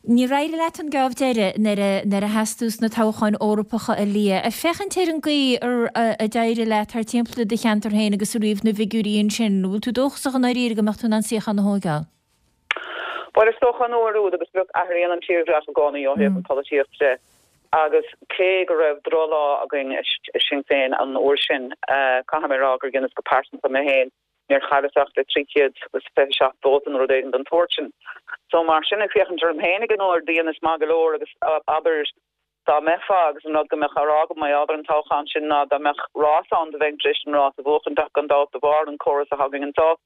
Níor éirigh leat an geábh deiridh nuair a sheas tú sna toghcháin Eorpacha a Liadh. Ag féachaint ar an gcaoi a d'éirigh leat thart timpeall i do cheantar féin agus ag ríomh na bhfigiúirí ansin, an bhfuil tú dóchasach i ndáiríre go mbeadh tú in ann suíochán a thóigeáil? Bhuel, is dócha an uair úd, agus look, athraíonn an tírdhreach i gcónaí ó thaobh an pholaitíocht de, agus cé go raibh drochlá againn i Sinn Féin an uair sin, caithfidh mé a rá gur dheineas go pearsanta mé féin, níor chailleas ach le 327 vóta nó rud éigin den tsórt sin. So mar sin, ag féachaint orm féin ag an uair, dheineas maith go leor agus abair, dá mbeifeá, agus an rud go mbeadh á rá agam mar gheall ar an toghchán sin ná dá mbeadh rás ann do bheinn tar éis an rás a bhuachaint ach gan dabht de bharr an córas atá againn anseo,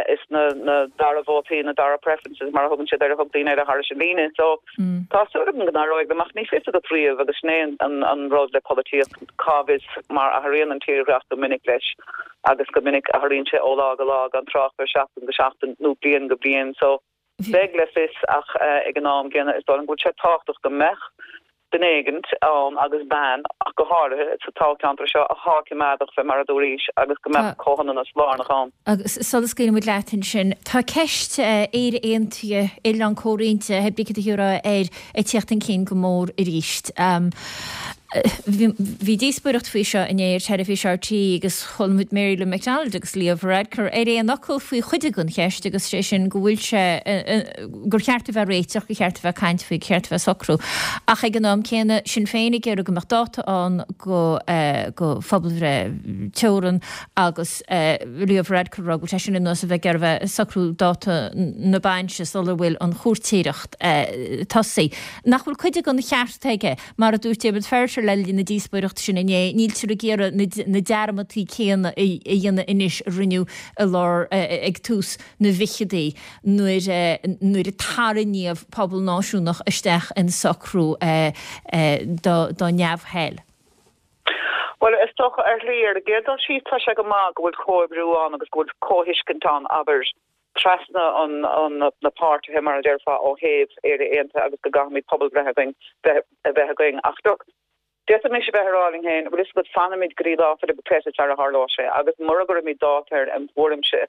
is na dara vótaí, na dara preferences mar a thugann siad air, a thug daoine eile thairis an líne. So tá súil agam go n-éireoidh liom ach ní fios agat riamh agus sin é an rud le polaitíocht, cá bhfios mar athraíonn an tírdhreach go minic leis agus go minic athraíonn sé ó lá go lá gan trácht ar seachtain go seachtain nó bliain go bliain. So beidh le fios ach ag an am gcéanna is dóigh liom go bhfuil sé tábhachtach go mbeadh. duine éigint ann agus bean ach go háirithe sa toghcheantar seo athá coimeádach fé mar a dúraís agus go mbeadh comhionannas lárnach ann. Agus sula scaoileann muid leat ansin, tá ceist Éire Aontaithe, Oileán Comhroinnte, hé brí cad a thiúrfá air, ag tíocht chun cinn go mór arís. Bhí díospóireacht faoi seo inné ar teilifís RTÉ agus chuala muid Mary Lou McDonald agus Leo Varadkar ar aon fhocal faoi chuid den cheist agus sé sin go bhfuil sé gur cheart a bheith réiteach, gur cheart a bheith ag caint faoi, gur cheart a bheith ag socrú. Ach ag an am céanna, Sinn Féin ag iarraidh go mbeadh dáta ann go go phobalbhreith teorann agus Leo Varadkar ag rá go bhfuil sé sin ar nós a bheith ag iarraidh a bheith ag socrú dáta na bainse sula bhfuil an chúirtéireacht tosaithe. Nach bhfuil cuid den cheart aige? Mar a dúirt Diarmaid Ferriter le linn na díospóireachta sin inné, níltear ag iarraidh na dearmadtaí céanna a dhéanamh anois a rinneadh i lár, ag tús na bhficheadaí nuair nuair a tarraingíodh pobal náisiúnach isteach in socrú dá neamhthoil. Bhuel, is dócha, ar shlí, ar an gcéad dul síos, tá sé go maith go bhfuil comhoibriú ann agus go bhfuil comhthuiscint ann, abair, trasna an na páirtithe, mar a déarfá, ó thaobh Éire Aontaithe agus go gcaithfimid pobalbhreith againn, bheith a bheith againn. Ach look, D'fhéadfaimis a bheith ag rá linn féin, bhfuil fhios agat, fanfaimid go dtí Lá Fhéile Peter sara tharlóidh sé, agus mura gcuirimid dáta air, im thuairimse,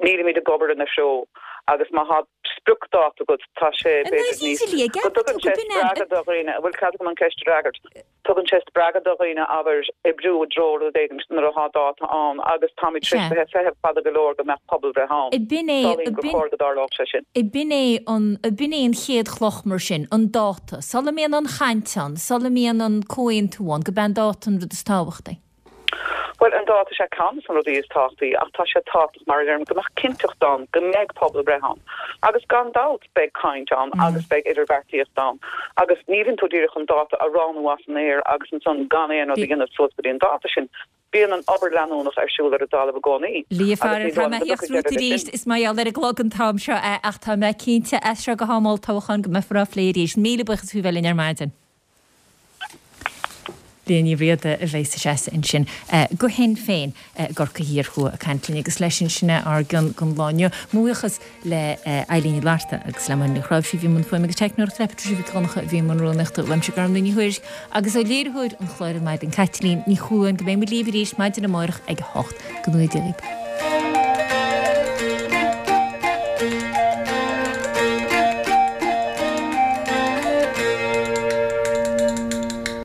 nílimid ag obair ina threo, agus má thá spriocdháta agat, tá sé, b'fhéidir, níos, go dtugann sé spreagadh do dhaoine, an bhfuil cead agam an ceist a fhreagairt? Tugann sé spreagadh do dhaoine, abair, oibriú i dtreo rud éigin nuair athá dáta ann, agus táimid tar éis bheith ag feitheamh fada go leor go mbeadh pobalbhreith ann. Samhlaím gur chóir go dtarlódh sé sin. B'in é an, b'in é an chéad chloch mar sin, an dáta. Sula mbíonn an chaint ann, sula mbíonn an comhaontú ann, go b'é an dáta an rud is tábhachtaí. Bhuel, an dáta, is é ceann de na rudaí is tábhachtaí, ach tá sé tábhachtach, mar a deirim, go mbeadh cinnteacht ann go mbeidh pobalbhreith ann. Agus gan dabht beidh caint ann agus beidh idirbheartaíocht ann. Agus ní bhíonn tú díreach chun dáta a roghnú as an aer agus ansan gan aon rud a dhéanamh suas go dtí an dáta sin. Bíonn an obair leanúnach ar siúl ar an dtalamh i gcónaí Lia agus ní dóigh liom go dtiocfaidh deireadh leis sin. Is mar gheall ar an gclog an t-am seo é ach tá mé cinnte as seo go ham olltoghcháin go mbeifear á phlé arís. Míle buíochas faoi bheith linn ar maidin. Liadh Ní Riada a bheas ag seasamh ansin do Shinn Féin i gCorcaigh Thiar Thuaidh ag caint linn agus leis sin sin é ár gcion don lá inniu. Mo bhuíochas le Eilín Ní Fhlatharta agus le Máire Ní Chráimhsí a bhí i mbun fuaime agus teicneoireachta, le Patricia Mhic Dhonncha a bhí i mbun rúnaíochta, uaimse Gormlaith Ní Thuairisg agus ó léiritheoir an chláir ar maidin Caitlín Ní Chualáin go mbeidh muid libh arís maidin amárach ag 8. Go ngnóthaí Dia dhaoibh.